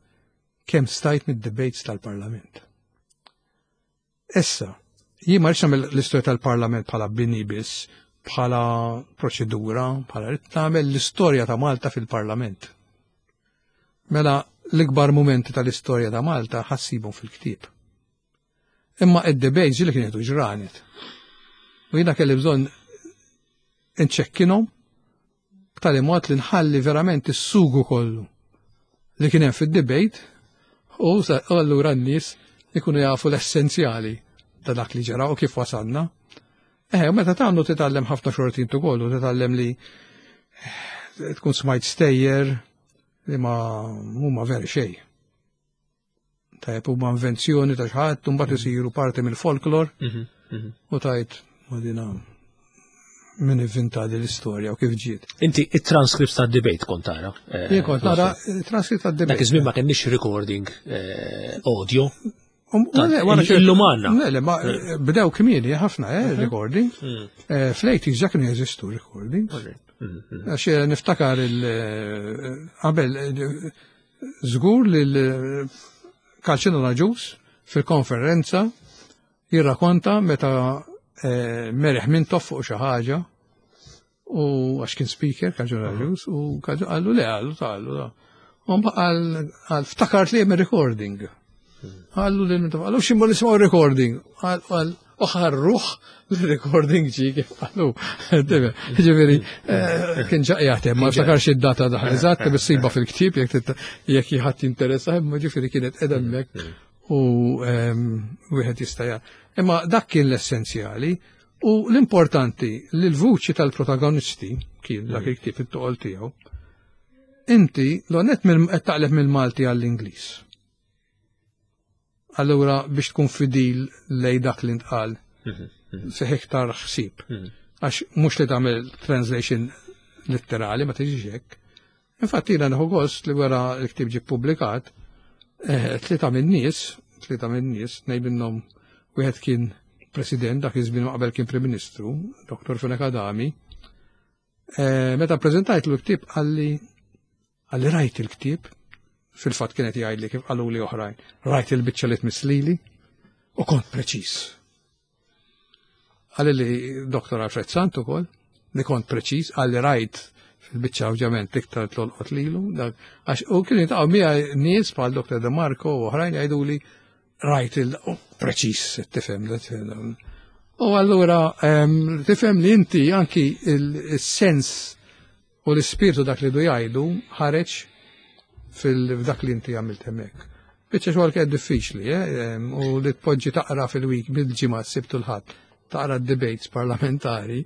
kemm stajt mid-debates tal-Parlament. Issa, jien ma rridx nagħmel l-istorja tal-Parlament bħala bini biss, bħala proċedura, bħala rrid nagħmel l-istorja ta' Malta fil-Parlament. Mela l-ikbar mumenti tal-istorja ta' Malta ħassibhom fil-ktieb. Imma id-debates li kienet ġranet. U jiena kelli bżonn nċekkinhom b'tali mod li nħalli verament is-sugu kollu li kien hemm fid-debate u allura n-nies ikunu jafu l-essenzjali ta' dak li ġara u kif wasalna. Eh, u meta tagħmlu titgħallem ħafna xortin ukoll u titgħallem li eh, tkun smajt stejjer li ma huma veri xejn. Tajjeb huma invenzjoni ta' xi ħadd u mbagħad isiru parti mill-folklor mhm, mhm. u tajt ma dina min ivvinta din l-istorja u kif ġiet. Inti it-transcripts ta' debate kont tara? Eh, Jien kont nara transcript ta' debate. Dak iż-żmien ma kenniex recording eh, audio. Um, illum għandna. Le, le, ma eh, bdew kmieni ħafna, eh, mhm. recording. Mm. Fl-80s ġa kienu jeżistu recordings. Mm, mm. Għax niftakar il-qabel Żgur li l-Kalċino Agius fil-konferenza jirrakonta meta eh, Merih Mintoff fuq xi ħaġa u għax kien speaker Kalċino Agius u qallu le qallu qallu da. U mbagħad qal ftakart li hemm recording. Qallu li Mintoff qallu x'imma nisimgħu recording. Qal u ħarruħ l-recording ġi kif qalu. Ġifieri, eh, kien ġaqjat ma ftakarx id-data daħ eżatt, bissiba fil-ktieb jekk jekk ħadd jinteressa, imma ġifieri kienet qiegħda hemmhekk u ehm, wieħed jista' Imma dak kien l-essenzjali. U l-importanti li l-vuċi tal-protagonisti, kien dak il-ktieb it-toqol tiegħu, inti l-onet qed taqleb mill-Malti għall-Ingliż. Allura biex tkun fidil lej dak li ntqal, fih iktar ħsieb. Għax mhux li tagħmel translation letterali ma tiġix hekk. Infatti jiena nieħu gost li wara l-ktieb ġie ppubblikat, eh, tlieta min-nies, tlieta min-nies, tnejn minnhom wieħed kien president dak iż-żmien ma qabel kien Prim Ministru, Dr. Fenech Adami. Eh, meta preżentajt l-ktieb qalli qalli rajt il-ktieb, fil-fatt kienet jgħidli kif qaluli oħrajn, rajt il-biċċa li tmisslili u kont preċiż. Għalli li Dr. Alfred Sant ukoll, li kont preċiż, għalli rajt fil-biċċa ovvjament iktar tlolqot lilu, għax u kien jitqgħu miegħi nies bħal Dr. De Marco u oħrajn jgħiduli rajt il preċiż tifhem U allura tifhem li inti anki il-sens U l-ispirtu dak li du jgħidu ħareġ fil-dak li inti għamilt hemmhekk. Biċċa xogħol kienet diffiċli, eh, u li tpoġġi taqra fil-week bil-ġimgħa s-Sibt u l-Ħadd, taqra d-debates parlamentari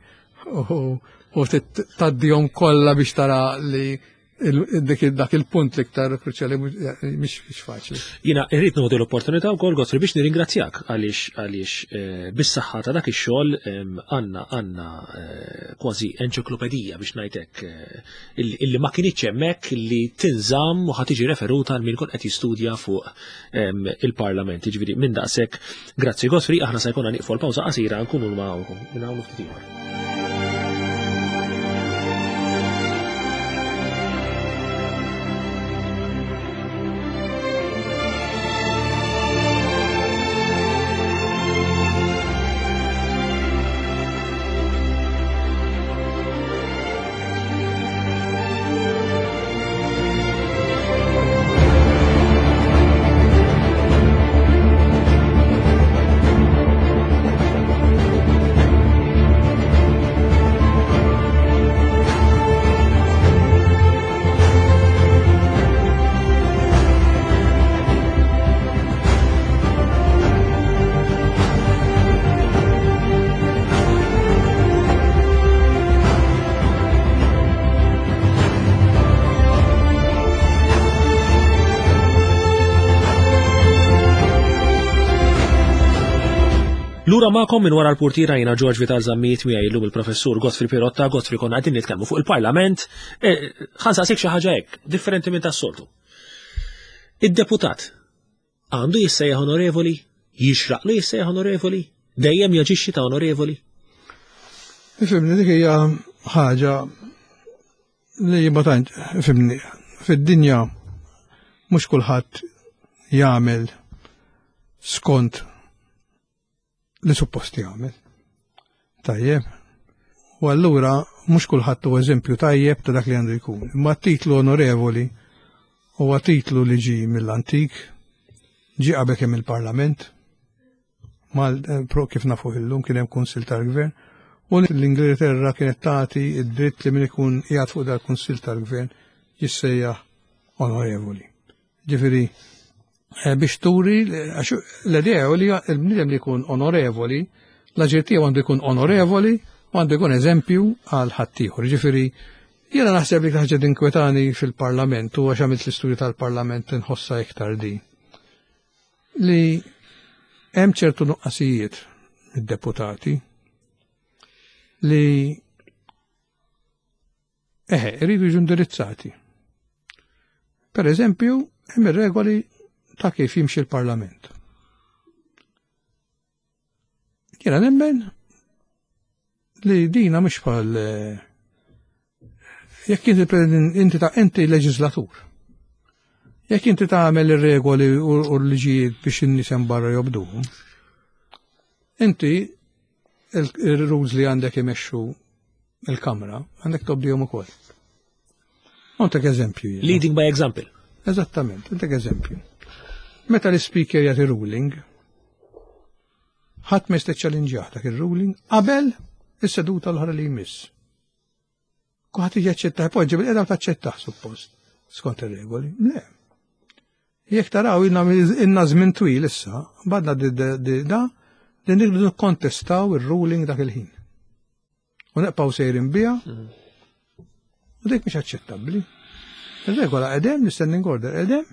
u tgħaddihom kollha biex tara li dak il-punt l-iktar kruċjali mhix faċli. Jiena irrid nieħu l-opportunità wkoll Godfrey biex nirringrazzjak għaliex għaliex eh, bis-saħħa ta' dak ix-xogħol għandna għandna eh, kważi enċiklopedija biex ngħidlek eh, illi ma kinitx hemmhekk li tinżamm u ħa tiġi referuta għal min ikun qed jistudja fuq il-Parlament. Jiġifieri minn daqshekk, grazzi Godfrey, aħna se jkollna nieqfu l-pawża qasira nkunu magħhom minn hawn ftit ieħor. Lura magħkom minn wara l-purtiera jiena George Vital Zammit miegħi llum il-professur Godfrey Pirotta, Godfrey konna qegħdin nitkellmu fuq il-Parlament, eh, ħa nsaqsik xi ħaġa hekk, differenti minn tas-soltu. Id-deputat Għandu jissejjaħ onorevoli? Jixraqlu jissejjaħ onorevoli? Dejjem jaġixxi ta' onorevoli? Ifimni, dik hija ħaġa li ma tant, ifimni, fid-dinja mhux kulħadd jagħmel skont li suppost jagħmel. Tajjeb. U allura mhux kulħadd huwa eżempju tajjeb ta' dak li għandu jkun. Imma titlu onorevoli huwa titlu li ġi mill-antik, ġi qabel kemm il-Parlament, mal eh, pro kif nafu illum kien hemm kunsil tal-gvern, u l-Ingilterra kienet tagħti id-dritt li min ikun qiegħed fuq dal-kunsil tal-gvern jissejjaħ onorevoli. Ġifieri Eh, biex turi, għax l-idea li l-bniedem li jkun onorevoli, l-aġir tiegħu għandu jkun onorevoli u għandu jkun eżempju għal ħaddieħor. Ġifieri, jiena naħseb li ħaġa dinkwetani fil-Parlament u għax għamilt l-istudju tal-Parlament nħossa iktar di. Li hemm ċertu nuqqasijiet mid-deputati li Eħe, iridu jiġu indirizzati. Per eżempju, hemm ir-regoli ta' kif jimxi l-Parlament. Jiena nemmen li dina mhux bħal eh, jekk inti inti ta' inti leġislatur. Jekk inti tagħmel ir-regoli u l-liġijiet biex in-nies hemm barra jobduhom, inti il-rules li għandek imexxu il-kamra, għandek tobdihom ukoll. Għandek eżempju. Leading by example. Eżattament, għandek eżempju. Meta l-speaker jagħti ruling, ħadd ma jista' ċċallinġjah dak ir-ruling qabel is-seduta l-oħra li jmiss. Kulħadd jaċċetta, poġġi bil-qeda u taċċettah suppost, skont ir-regoli. Le. Jekk taraw inna żmien twil issa, badna da Li nirridu nikkontestaw ir-ruling dak il-ħin. U neqpaw sejrin biha. U dik mhix aċċettabbli. Ir-regola qedem, l-standing order qedem.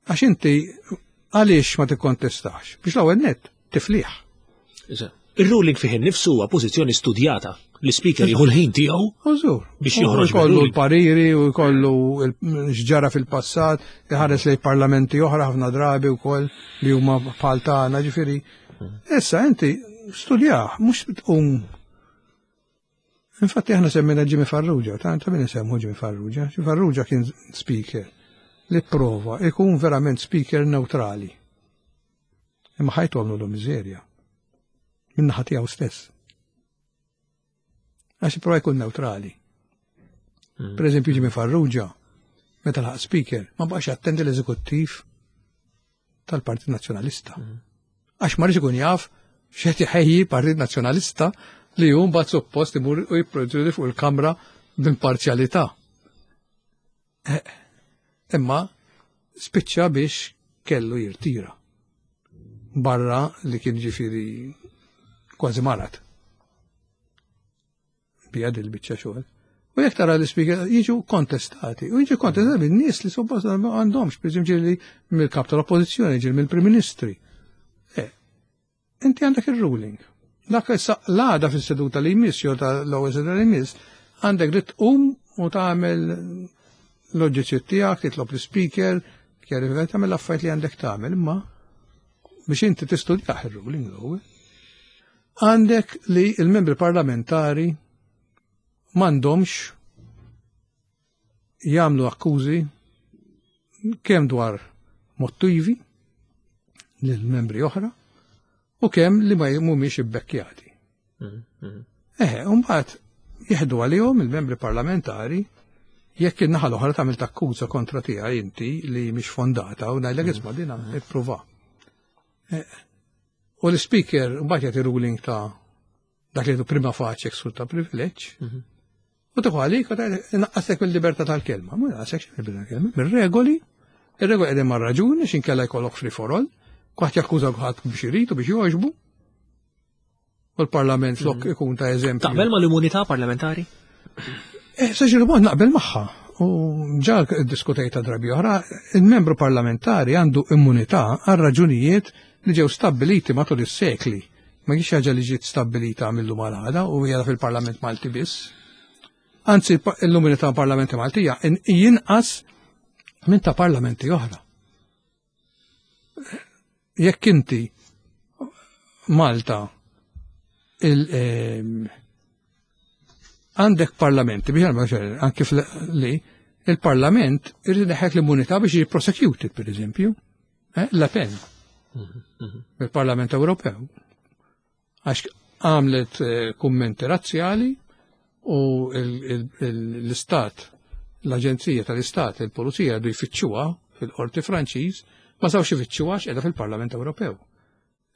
Għax inti għaliex ma tikkontestax? Biex l-ewwel net tifliħ. Ir-ruling fih innifsu huwa pożizzjoni studjata. L-ispeaker jieħu l-ħin tiegħu biex joħroġ kollu l-pariri u jkollu x'ġara fil-passat, iħares lejn parlamenti oħra ħafna drabi wkoll li huma bħal tagħna, ġifieri. Issa inti studjah, mhux tqum Infatti aħna semmejna Jimmy Farrugia, ta' ta' min isemmu Jimmy Farrugia. Jimmy Farrugia kien speaker li prova ikun verament speaker neutrali. Imma ħajtu għamlu l miżerja. Minna tiegħu stess. Għax prova jkun neutrali. Per eżempju Jimmy Farrugia, meta laħaq speaker, ma baqax jattendi l-eżekuttiv tal-Partit Nazzjonalista. Għax ma ikun jaf x'qed iħejji Partit Nazzjonalista li hu mbagħad suppost imur u jipproduċi fuq il-Kamra b'imparzjalità. Eh, imma spiċċa biex kellu jirtira. Barra li kien ġifieri kważi marat. Bija dil-biċċa xogħol. U jekk tara l-ispeaker jiġu kontestati, u jiġu kontestati minn nies li suppost għandhomx, per eżempju ġieli mill-kap tal-oppożizzjoni, ġieli mill-Prim Ministri. Eh, inti għandek il-ruling. Dak issa l-għada fis-seduta li jmiss jew tal-ewwel seduta li jmiss, għandek dritt tqum u tagħmel l-oġġezzjoni tiegħek, titlob l-speaker, kjarifika tagħmel l-affarijiet li għandek tagħmel, imma biex inti tistudjah ir-ruling l-ewwel. Għandek li il-membri parlamentari m'għandhomx jagħmlu akkużi kemm dwar motivi lil membri oħra u kemm li ma mhumiex ibbekkjati. Eħe, u mbagħad jieħdu għalihom il-membri parlamentari jekk in-naħa l-oħra tagħmel takkuża kontra tiegħi inti li mhix fondata u ngħidlek isma' din ippruva. Eh, u l-speaker mbagħad jagħti ruling ta' dak li prima facie ksur ta' privileġġ. U tuħu għalik u naqqasek mill-libertà tal-kelma. Ma naqqasek mill-libertà tal-kelma. Mir-regoli, ir-regoli qegħdin mar-raġuni x'inkella jkollok free for all, kulħadd jakkuża kulħadd biex irid u biex jogħġbu. U l-Parlament flok mhm. ikun ta' eżempju. Taqbel ma l-immunità parlamentari? Eh, Saġir mod naqbel magħha. U ġa diskutejta drabi oħra, il-membru parlamentari għandu immunità għal raġunijiet li ġew stabbiliti matul is-sekli. Ma kienx ħaġa li ġiet stabbilita mill-lum għal u hija fil-Parlament Malti biss. Anzi, l-immunità parlamenti Maltija jinqas minn ta' parlamenti oħra. Jekk inti Malta il ehm, għandek parlamenti biex anki li il-parlament irid neħek l-immunità biex jiġi prosecuted, per eżempju, eh, La Pen, il-Parlament Ewropew. Għax għamlet eh, kummenti razzjali u l-istat, l-Aġenzija tal-Istat, il-Pulizija għadu jfittxuha fil-Qorti Franċiż, ma sawx ifittxuha x'qiegħda fil-Parlament Ewropew.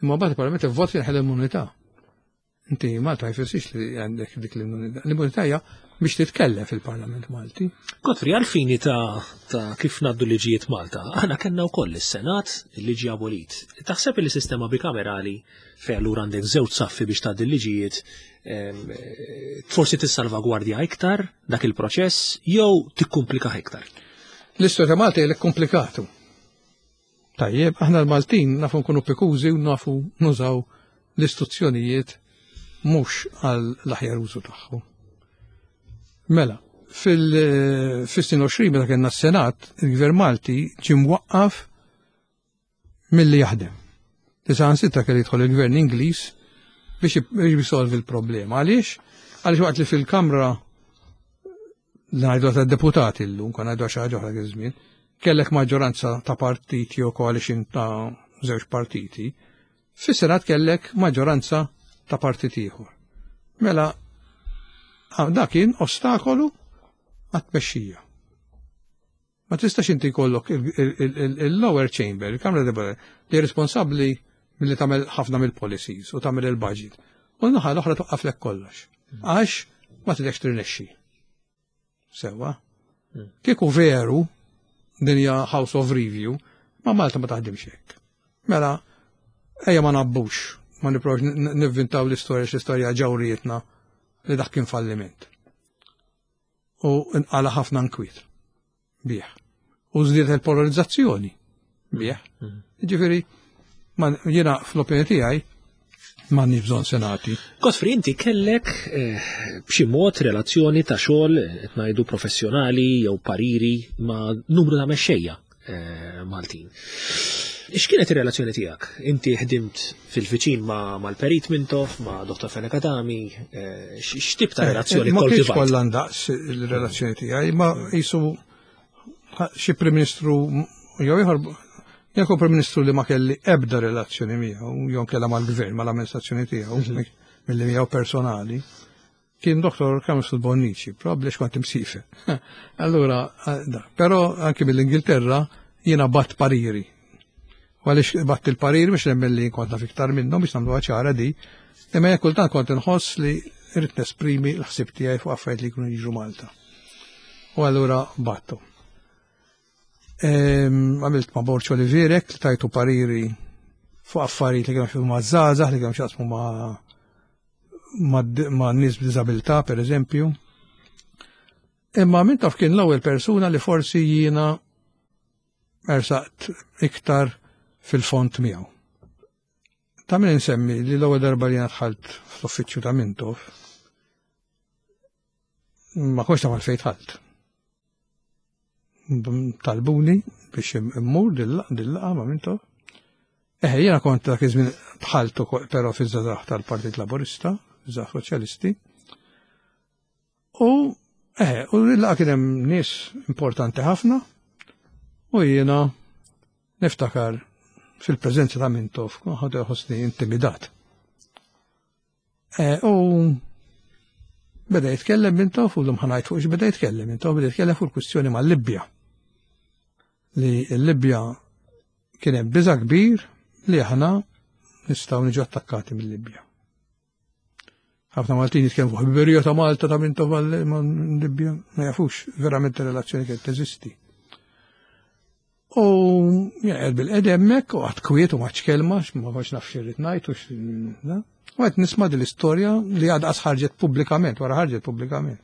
Imma mbagħad il-Parlament ivvot jinħel l-immunità. Inti Malta jfissirx li għandek dik l-immunità. L-immunità hija biex titkellem fil-Parlament Malti. Godfrey, għalfini ta', ta kif naddu liġijiet Malta, aħna kellna wkoll is-Senat liġi abolit. Taħseb li sistema bikamerali fejn allura għandek żewġ saffi biex tgħaddi l-liġijiet forsi tissalvagwardja iktar dak il-proċess jew tikkumplika iktar? L-istorja ta' Malta hija komplikatu. Tajjeb, aħna l-Maltin nafu nkunu pikużi u nafu nużaw l-istituzzjonijiet mhux għal l-aħjar użu tagħhom. Mela, fil-snin 20 meta kellna s-Senat, il-Gvern Malti ġie mwaqqaf milli jaħdem. Li kelli jidħol il-Gvern Ingliż biex jisolvi l-problema. Għaliex? Għaliex waqt li fil-Kamra ngħidu ta' deputati llum, kon ngħidu xi ħaġa oħra żmien, kellek maġġoranza ta' partiti jew coalition ta' żewġ partiti, fis-Senat kellek maġġoranza ta' partit ieħor. Mela, dak kien ostakolu għat-tmexxija. Ma tistax inti jkollok il-lower chamber, il-Kamra Deputati, li responsabbli milli tagħmel ħafna mill-policies u tagħmel il-budget. U l-naħa l-oħra toqqaflek kollox. Għax ma tidekx tirnexxi. Sewa. Kieku veru din hija House of Review, ma Malta ma taħdimx hekk. Mela, ejja ma nabbux. Ma nipprovax nivvintaw l-istorja x'istorja ġawrietna li dak kien falliment. U nqala ħafna nkwiet bih. U żdiet il-polarizzazzjoni bih. Ġifieri, jiena fl-opinjoni tiegħi m'għandniex bżonn senati. Godfrey, inti kellek eh, b'xi mod relazzjoni ta' xogħol qed ngħidu professjonali jew pariri ma' numru ta' mexxejja eh, Maltin. X'kienet ir-relazzjoni tiegħek? Inti ħdimt fil-viċin ma' mal-Perit Mintoff, ma' Dr. Fenech Adami, eh, x'tip ta' relazzjoni Ma kienx kollha ndaqs il-relazzjoni tiegħi, ma jisu xi Prim Ministru jew ieħor jekk Prim Ministru li ma kelli ebda relazzjoni miegħu, jew kellha mal-gvern, mal-amministrazzjoni tiegħu, mhm. milli miegħu personali, kien Dr. Kamsul Bonnici, probabbli kont imsifer. Allura, eh, da, però anki mill-Ingilterra jiena bat pariri. U għaliex bat il-pariri biex nemmen li kont naf iktar minnhom biex nagħmluha ċara di, imma jekk kultant kont inħoss li rrid nesprimi l-ħsieb tiegħi fuq affarijiet li jkunu jiġu Malta. U allura battu. Għamilt ma' Borċ Olivierek li tajtu pariri fuq affarijiet li kienu xaqsmu ma' żgħażagħ, li kienu xaqsmu ma' ma' nies b'diżabilità, per eżempju. Imma Mintoff kien l-ewwel persuna li forsi jiena ersaqt iktar fil-font miegħu. Ta' min insemmi li l-ewwel darba li jiena dħalt fl-uffiċċju ta' Mintoff, ma kontx naf għalfejn dħalt. Talbuni biex immur dil-laqa ma' Mintoff. Eħe, jiena kont dak iż-żmien dħalt ukoll però fiż-żgħażagħ tal-Partit Laburista, żgħażagħ Soċjalisti. U eħe, u l-laqa kien hemm nies importanti ħafna u jiena niftakar fil-preżenza ta' Mintoff kont ħossni intimidat. Eh, u beda jitkellem Mintoff u l-lum ħanajt fuq beda jitkellem Mintoff, beda jitkellem fuq il-kwistjoni mal-Libja. Li l-Libja kien hemm biża' kbir li aħna nistgħu niġu attakkati mill-Libja. Ħafna Maltin jitkellmu fuq ħbiberija ta' Malta ta' Mintoff mal-Libja, ma jafux verament ir-relazzjoni kienet teżisti. U jgħed bil-qed hemmhekk u għad kwiet u maċ kelma, ma kontx naf xi rrid ngħid u U qed nisma' din l-istorja li għadha ħarġet pubblikament, wara ħarġet pubblikament.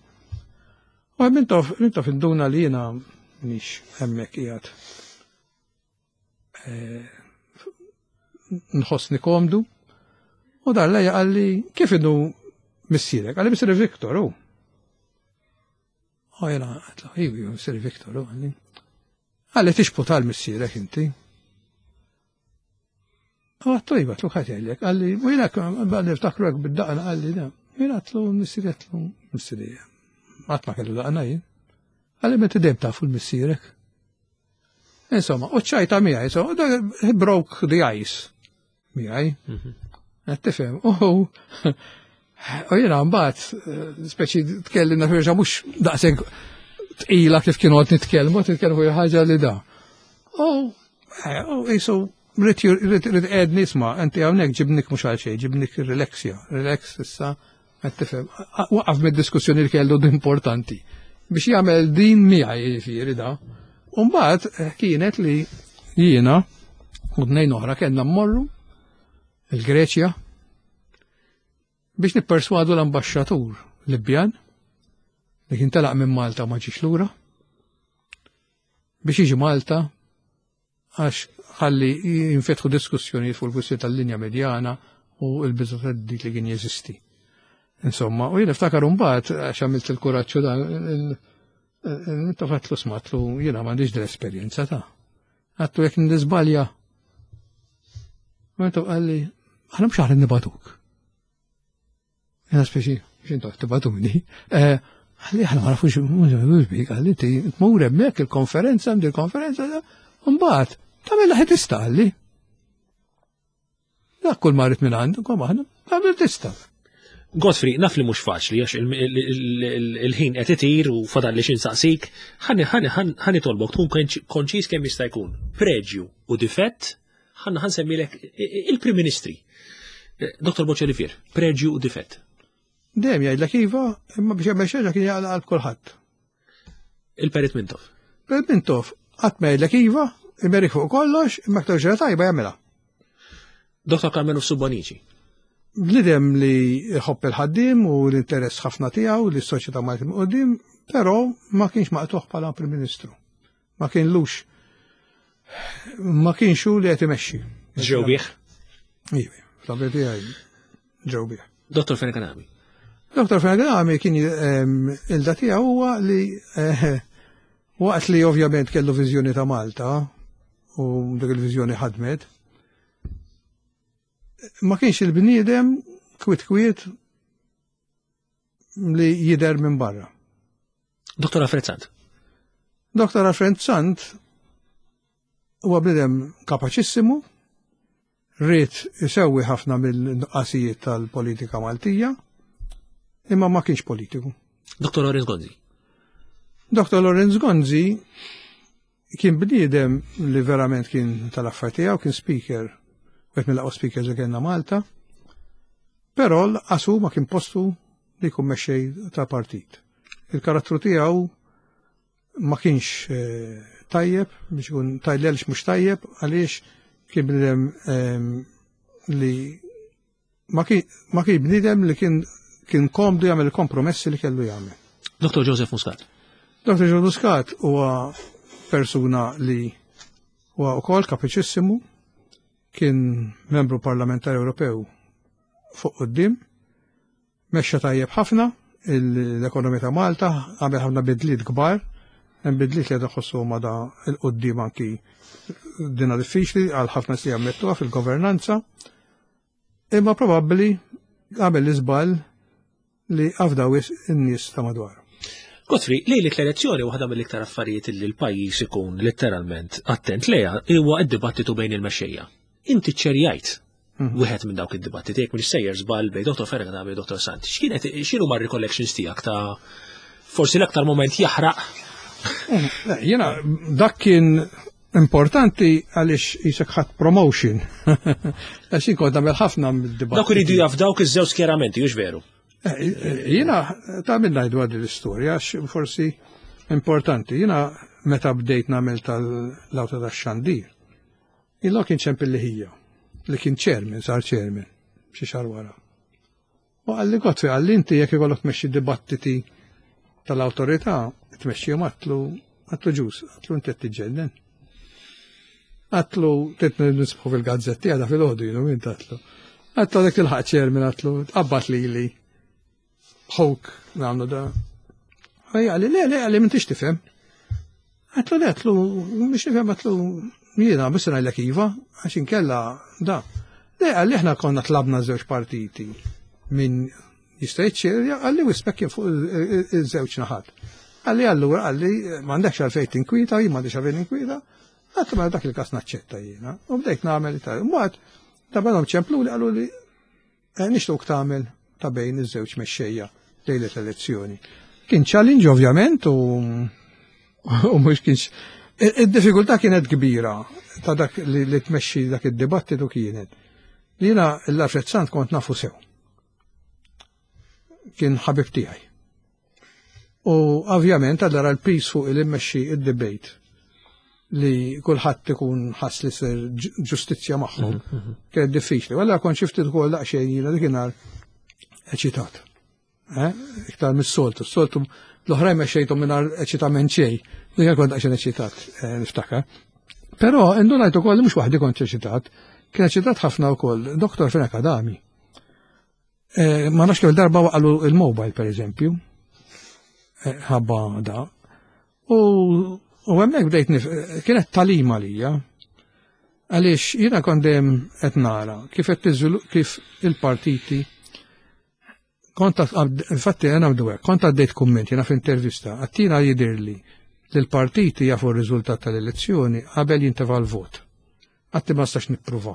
U Mintoff Mintoff induna li jiena mhix hemmhekk qiegħed eh, nħossni komdu. U dar lejja qalli kif inhu missierek? Qalli missieri Viktor hu. U jena għatlu, iju, missieri Viktor, u għalli. Għalli tixpu tal-missierek inti. U għattu iva, għatlu ħat jgħidlek, għalli, u jena għalli ftakru għek bid-daqna, għalli, da. Jena għatlu missieri għatlu missieri. Għat ma kellu daqna jien. Għalli meta dejjem tafu l-missierek. Insomma, u ċajta miegħi, insomma, he broke the ice miegħi. Mhm. Qed tifhem. U u jiena mbagħad eh, speċi tkellimna firxa mhux daqshekk tqila kif kienu qed nitkellmu, nitkellmu fuq ħaġa li da. U eh, jisu rrid rrid qed nisma' inti hawnhekk ġibnik mhux għal xejn, ġibnik relaxja, relax issa qed tifhem. Waqaf mid-diskussjoni li kellu importanti biex jagħmel din miegħi jiġifieri da. U mbagħad eh, kienet li jiena u tnejn oħra kellna mmorru il-Greċja biex nipperswadu l-ambaxxatur Libjan li kien telaq minn Malta u ma ġiex lura biex jiġi Malta għax ħalli jinfetħu diskussjonijiet fuq il-kwistjoni tal-linja medjana u l-biża' tad-dik li kien jeżisti. Insomma, u jien niftakar mbagħad għax għamilt il-kuraġġ dan Inta smatlu jiena m'għandix dell-esperjenza ta'. Għattu jekk nizbalja. Meta qalli, aħna mhux aħna nibatuk. Jena speċi, xintu tibatuni. Eh, għalli aħna ma nafux mhux bik, għalli ti tmur hemmhekk il-konferenza, il konferenza, mbagħad tagħmel laħi tista' għalli. Dak kull ma rrid minn għandu, kom aħna, tagħmel tista'. Godfrey, naf li mhux faċli għax il-ħin qed itir u fadal li xinsaqsik, ħani tolbok tkun konċis kemm jista' jkun. Preġju u difett ħanna ħansemmilek il-Prim Ministri. Eh, Dr. Boċelifier, preġju u difett. Dejjem jgħidlek iva, imma biex jagħmel xi kien jaqla' qalb kulħadd. Il-Perit Mintoff. Perit Mintoff qatt ma jgħidlek iva, imerik fuq kollox, imma aktar ġara tajba jagħmilha. Dr. Carmelo Subonici. Bniedem li jħobb il-ħaddiem u l-interess ħafna tiegħu li s-soċjetà Malti qudiem, però ma kienx maqtuħ bħala Prim Ministru. Ma kienlux ma kienx hu li qed imexxi. Ġew bih? Iva, fl tiegħi ġew bih. Dottor Fenech Adami. Dottor Fenech Adami kien il-da tiegħu huwa li eh, waqt li ovvjament kellu viżjoni ta' Malta u dik il-viżjoni ħadmet, ma kienx il-bniedem kwiet kwiet li jider minn barra. Dr. Alfred Sant. Dr. Alfred Sant huwa bniedem kapaċissimu, rrid isewwi ħafna mill-nuqqasijiet tal-politika Maltija, imma ma kienx politiku. Dr. Lorenz Gonzi. Dr. Lorenz Gonzi Kien bniedem li verament kien tal-affar tiegħu, kien speaker, wieħed mill-aqwa speakers li kellna Malta. Però l-qasu ma kien postu li jkun mexxej ta' partit. Il-karattru tiegħu ma kienx eh, tajjeb, biex ikun tajjeb mhux tajjeb, għaliex kien bniedem ehm, li Ma kien bniedem li kien kien komdu jagħmel il-kompromessi li kellu jagħmel. Dr. Joseph Muscat. Dr. Joseph Muscat huwa persuna li huwa wkoll kapaċissimu, kien membru parlamentari Ewropew fuq quddiem, Mexxa tajjeb ħafna l-ekonomija ta' Malta, għamel ħafna bidliet kbar, hemm bidliet li qed iħossuhom għadha 'l quddiem anki dina diffiċli għal ħafna nies li jammettuha fil-governanza. Imma probabbli għamel l-iżball li afda wisq in-nies ta' madwaru. Godfrey, lejlet l-elezzjoni waħda mill-iktar affarijiet li l-pajjiż ikun letteralment attent lejha huwa d-dibattitu bejn il-mexxejja. Inti ċerjajt mhm. wieħed minn dawk id-dibattiti jekk mhux sejjer żball bejn Dr. Fergana bejn Dr. Sant. X'kienet x'inhu ma recollections tiegħek ta' forsi l-aktar moment jaħraq? Mhm. Jiena dak kien importanti għaliex jisek ħadd promotion. Għax jien kont nagħmel ħafna mid-dibattiti. Dawk iridu jaf dawk iż-żewġ skjeramenti, hux veru? Eh, eh, jiena ta' minn ngħidu għad l-istorja għax forsi importanti. Jiena meta bdejt nagħmel tal-awta tax-xandir, Illo kien ċempilli ħija, li kien chairman, sar chairman, xi xahar wara. U qalli Godfrey, qalli inti jekk ikollok tmexxi dibattiti tal-awtorità, tmexxihom għatlu, għatlu ġus, għatlu inti qed tiġġennen. Għatlu trid nisbħu fil-gazzetti għadha fil-ħodu jienu minn għatlu. Għatlu dak il-ħaq chairman għatlu, tqabbat lili. Ħuk nagħmlu da. Ħajja li le le għalli m'intix tifhem. Għatlu le għatlu mhux nifhem għatlu jiena biss ngħidlek iva għax inkella da. Le għalli aħna konna tlabna żewġ partiti minn jista' jiċċerja għalli wispek kien fuq iż-żewġ naħat. Għalli allura għalli m'għandekx għalfejn tinkwita, jien m'għandix għalfejn tinkwita, għatlu mela dak il-każ naċċetta jiena. U bdejt nagħmel ta' mbagħad ta' ċemplu li qalu li Eh, nixtuq tagħmel ta' bejn iż-żewġ mexxejja lejlet l-elezzjoni. Kien challenge ovvjament u u mhux kienx Id-diffikultà kienet kbira ta' dak li, li tmexxi dak id-dibattitu kienet. Li jiena l-Alfred Sant kont nafu sew. Kien ħabib tiegħi. U ovvjament allura l-pis fuq il immexxi id-debate li kulħadd ikun ħass li ser ġustizzja magħhom mhm, mhm. kienet diffiċli. Walla kont xi ftit ukoll daqsxejn jiena dik eċitat. Eh? Iktar mis-soltu. S-soltu l-oħrajn mexxejthom mingħajr eċitament xejn. Dik kont daqsxejn eċitat, eh, niftakar. Però indunajt ukoll li mhux waħdi kont eċitat, kien eċitat ħafna wkoll Dr. Fenek Adami. Eh, ma nafx kemm darba waqalu il-mobile per eżempju, eh, ħabba da. U hemmhekk bdejt kienet talima lija. Għaliex jiena kont dejjem qed nara kif qed kif il-partiti kont infatti għana hekk, kont għaddejt kumment jiena f'intervista, għattina jidirli li l-partiti jafu r-riżultat tal-elezzjoni qabel jintefa' l-vot. Għatti ma stax nippruva.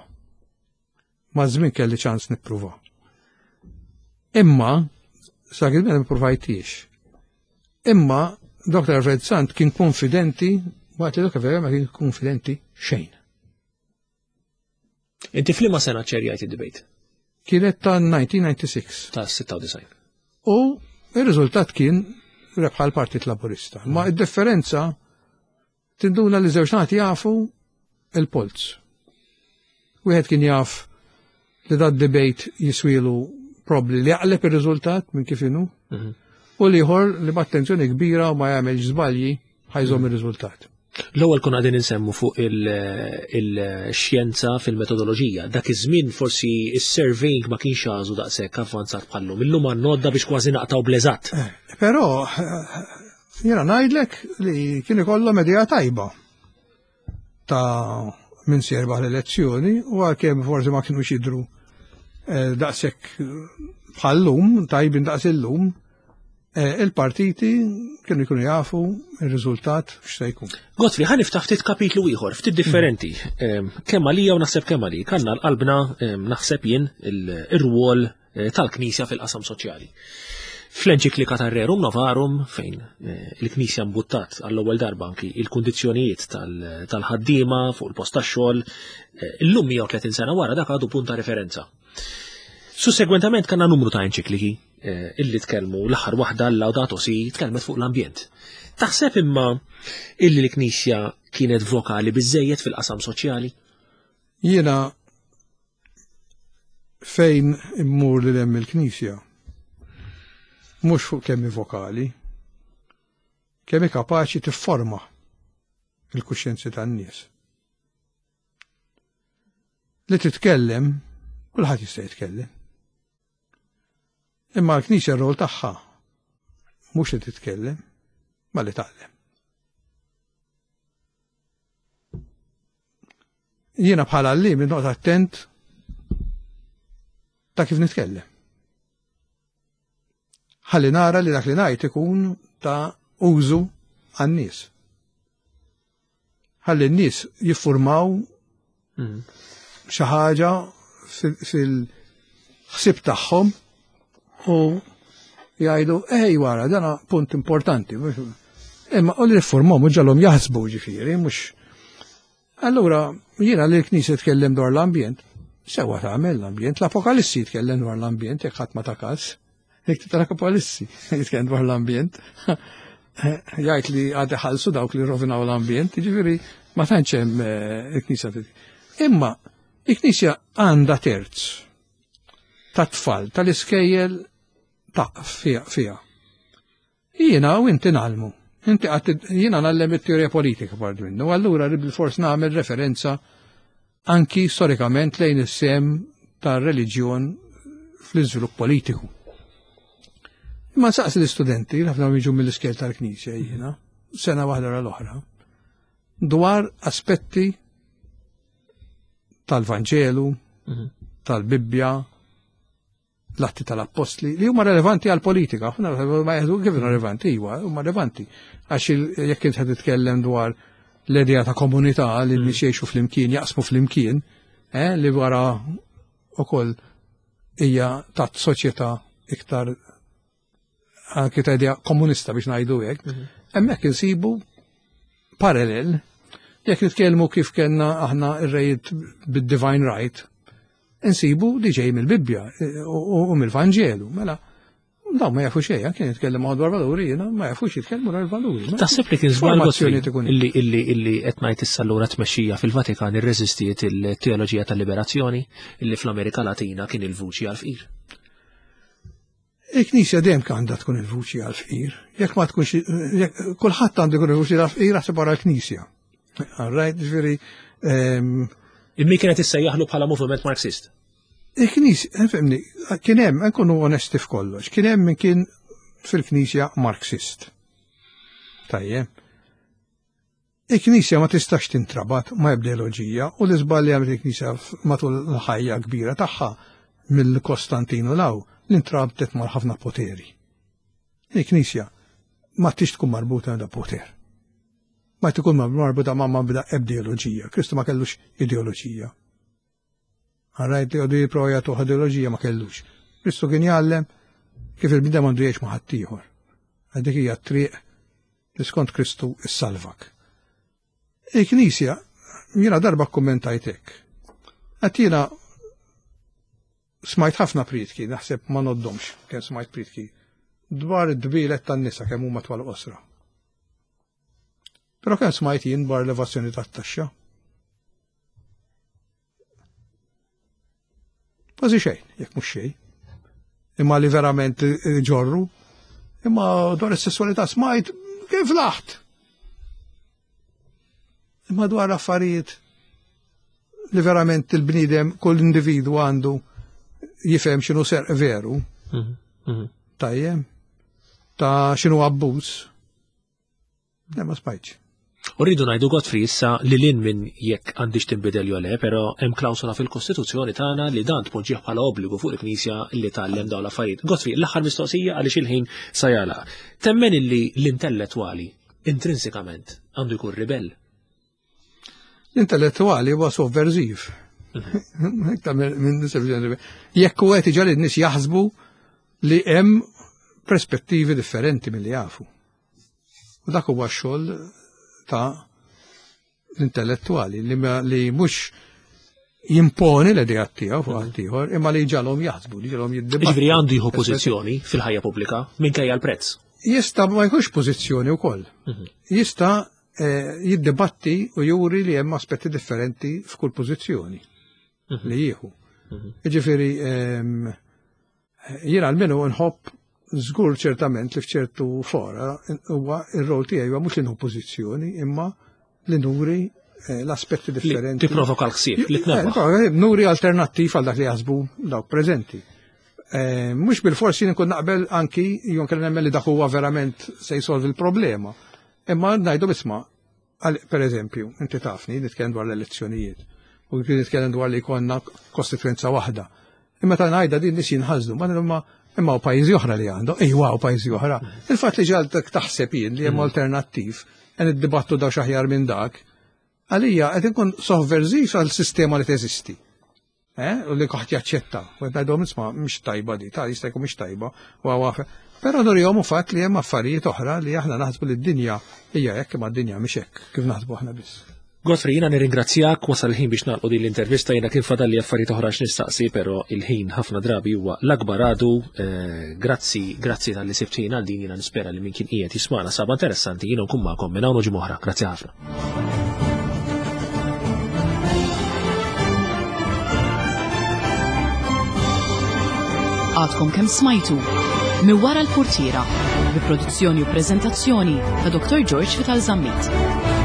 Maż-żmien kelli ċans nippruva. Imma, sa kien ma ppruvajtix. Imma Dr. Alfred Sant kien konfidenti, waqt li Dr. Vera ma kien konfidenti xejn. Inti f'liema sena ċerjajt id-debate? Kienet ta' 1996. Ta' 96. U il-riżultat kien rebħa l-Partit Laburista. Ma id-differenza Tinduna li żewġ naħat jafu il-polz. Wieħed kien jaf Li da debate jiswilu probli li jaqleb ir-riżultat minn kif inhu. U l-ieħor li b'attenzjoni kbira u ma jagħmelx żbalji ħa jżomm ir-riżultat. L-ewwel konna qegħdin insemmu fuq il-xjenza fil-metodoloġija. Dak iż-żmien forsi is-surveying ma kienx għażu daqshekk avvanzat bħallum. Illum għandna biex kważi naqtaw bl-eżatt. Eh, però jiena ngħidlek li kien ikollhom idea tajba ta' min se jirbaħ l-elezzjoni u għalkemm forsi ma kinux jidhru eh, daqshekk bħal-lum, tajbin daqs illum, eh, il-partiti kienu jkunu jafu il-riżultat x'se jkun. Godfrey, ħa niftaħ ftit kapitlu ieħor, ftit differenti. Kemm għalija u naħseb kemm għalik, għandna l-qalbna naħseb jien ir-rwol eh, tal-Knisja fil-qasam soċjali. Fl-enċiklika ta' Rerum Novarum, fejn eh, il-Knisja mbuttat għall-ewwel darba anki il-kundizzjonijiet tal-ħaddiema fuq il-post tax-xogħol, eh, illum 130 sena wara dak għadu punt ta' referenza. Sussegwentament kellna numru ta' enċikliki illi tkellmu l-aħħar waħda l-Laudato Si tkellmet fuq l-ambjent. Taħseb imma illi l-Knisja kienet vokali biżejjed fil-qasam soċjali? Jiena fejn immur li hemm il-Knisja, mhux fuq kemm vokali, kemm kapaċi tifforma il-kuxjenzi tan-nies. Li titkellem, kulħadd jista' jitkellem. Imma l-Knisja r-rol tagħha mhux li titkellem, ma li tgħallem. Jiena bħala li minn noqgħod attent ta' kif nitkellem. Ħalli nara li dak li ngħid ikun ta' użu għan-nies. Ħalli n-nies jiffurmaw mm. xi ħaġa fil-ħsieb tagħhom u jgħidu ej wara dana punt importanti. Imma u li jiffurmaw mhux ġalhom jaħsbu ġifieri, mhux Allura, jiena li l-Knisja tkellem dwar l-ambjent, sewa tagħmel l-ambjent, l-Apokalissi jitkellem dwar l-ambjent jekk ħadd ma ta' każ. Jekk tal-Apokalissi jitkellem dwar l-ambjent. Jgħid li għad ħalsu dawk li rovinaw l-ambjent, jiġifieri ma tantx hemm eh, il-Knisja. Imma il-Knisja għandha terz ta' tfal tal-iskejjel ta' fija. Jiena u inti ngħallmu. Inti qatt jiena ngħallem it-teorija politika part minnu, allura rrid bilfors nagħmel referenza anki storikament lejn is-sehem tar-reliġjon fl-iżvilupp politiku. Imma nsaqsi l-istudenti, ħafna jiġu mill-iskel tal-Knisja jiena, sena waħda wara l-oħra, dwar aspetti tal-Vanġelu, mhm. tal-Bibbja, l-atti tal-appostli li huma relevanti għal politika. Aħna ma jgħidu kif relevanti, iwa, huma relevanti. Għax jekk int qed titkellem dwar l-idea ta' komunità li mm. nies jgħixu flimkien, jaqsmu flimkien, eh, li wara ukoll hija ta' soċjetà iktar anki ta' idea komunista biex ngħidu hekk, mhm. hemmhekk insibu parallel jekk nitkellmu kif kellna aħna ir-rejiet bid-divine right, insibu li ġej mill-Bibbja eh, u mill-Vanġelu. Mela, dawn ma jafu xejn, kien jitkellem dwar valuri, jiena ma jafux jitkellmu dwar valuri. Taħseb li kien żball illi illi illi qed ngħid issa allura tmexxija fil-Vatikan irreżistiet il-teoloġija tal-liberazzjoni illi fl-Amerika Latina kien il-vuċi għal-fqir. Il-Knisja dejjem għandha tkun il-vuċi għal-fqir. Jekk ma tkunx, kulħadd għandu jkun il-vuċi għal-fqir aħseb wara l-Knisja. All right, ġifieri. Ehm, Immi kienet issejjaħlu bħala moviment Marxist. Il-Knisja, eh, fimni, kien hemm, nkunu onesti f'kollox, kien hemm min kien fil-Knisja Marxist. Tajjeb. Il-Knisja ma tistax tintrabat ma' ebda ideoloġija u l-iżball li għamlet il-Knisja matul l-ħajja kbira tagħha mill-Kostantinu 'l hawn li ntrabtet ma' ħafna poteri. Il-Knisja ma tix tkun marbuta ma' poter. Ma tkun marbuta ma' ma' ebda ideoloġija. Kristu ma kellux ideoloġija. Għarrajt li għadu jiprofa jagħtuh ideoloġija ma kellux. Kristu kien jgħallem kif il-bniedem għandu jgħix ma' ħaddieħor. Dik hija t-triq li skont Kristu issalvak. Il-Knisja, jiena darba kkummentajt hekk. Għad jiena smajt ħafna prietki, naħseb ma noddomx kemm smajt prietki, dwar id-dbielet tan-nisa kemm huma twal qosra. Però kemm smajt jien dwar l-evazzjoni tat-taxxa. Kważi xejn, jekk mhux xejn. Imma li verament ġorru. Imma dwar is-sesswalità smajt kif laħt. Imma dwar affarijiet li verament il-bniedem kull individu għandu jifhem x'inhu serq veru. Mhm, mhm. Tajjem. Ta' x'inhu abbuż. Le ma smajtx. U rridu ngħidu Godfrey issa li lin minn jekk għandix tinbidel jew le, però hemm klawsola fil-Kostituzzjoni tagħna li dan tpoġġih bħala obbligu fuq il-Knisja li tgħallem dawn l-affarijiet. Godfrey, l-aħħar mistoqsija għaliex il-ħin sa jagħlaq. Temmen illi l-intellettwali intrinsikament għandu jkun ribell? L-intellettwali huwa sovverżiv. Jekk u qed iġal in-nies jaħsbu li hemm perspettivi differenti milli jafu. U dak huwa x-xogħol ta' l-intellettwali li, li mhux jimponi l-idea tiegħu fuq ħaddieħor, imma li ġalhom jaħsbu, li ġalhom jiddibattu. Ġifieri għandu jieħu pożizzjoni fil-ħajja pubblika minkejja l-prezz. Jista' ma jkunx pożizzjoni wkoll. Mhm. Jista' eh, jiddibatti u juri li hemm aspetti differenti f'kull pożizzjoni mhm. li jieħu. Mhm. Ġifieri ehm, Jien almenu nħobb żgur ċertament li f'ċertu fora huwa ir-rol tiegħi huwa mhux li nieħu pożizzjoni imma li nuri eh, l-aspetti differenti. Tipprovoka l-ħsieb li tnebbaħ. Eh, nuri alternattiv għal dak li jaħsbu dawk preżenti. Eh, mhux bil-fors jien nkun naqbel anki jew kellna nemmen li dak huwa verament se jsolvi l-problema. Imma ngħidu isma' Per eżempju, inti tafni, nitkellem dwar l-elezzjonijiet, u nitkellem dwar li jkollna kostituenza waħda. Imma ta' ngħidha din nies jinħasdu, ma imma imma u pajjiżi oħra li għandhom, ejwa u pajjiżi oħra. Il-fatt li ġaltek taħseb jien li hemm mm. alternattiv, qed iddibattu daw xaħjar minn dak, għalija qed inkun sovverżiv għal sistema li teżisti. Eh, u li kħat jaċċetta. U għedhom isma' mhix tajba di, ta' jista' jkun mhix tajba. U għawaf. Però nurihom u fatt li hemm affarijiet oħra li aħna naħsbu li d-dinja hija hekk imma d-dinja mhix hekk kif naħsbu aħna biss. Godfrey, jiena nirringrazzjak, wasal il-ħin biex nagħlqu din l-intervista, jiena kien fadalli affarijiet oħra x'nistaqsi, però il-ħin ħafna drabi huwa l-akbar għadu. Eh, grazzi, grazzi tal-li sibtina għal din jiena nispera li min kien qiegħed jismana saba interessanti jiena nkun magħkom minn hawn u ġimgħa Grazzi ħafna. Għadkom kemm smajtu minn wara l-portiera bi produzzjoni u preżentazzjoni ta' Dr. George Vital Zammit.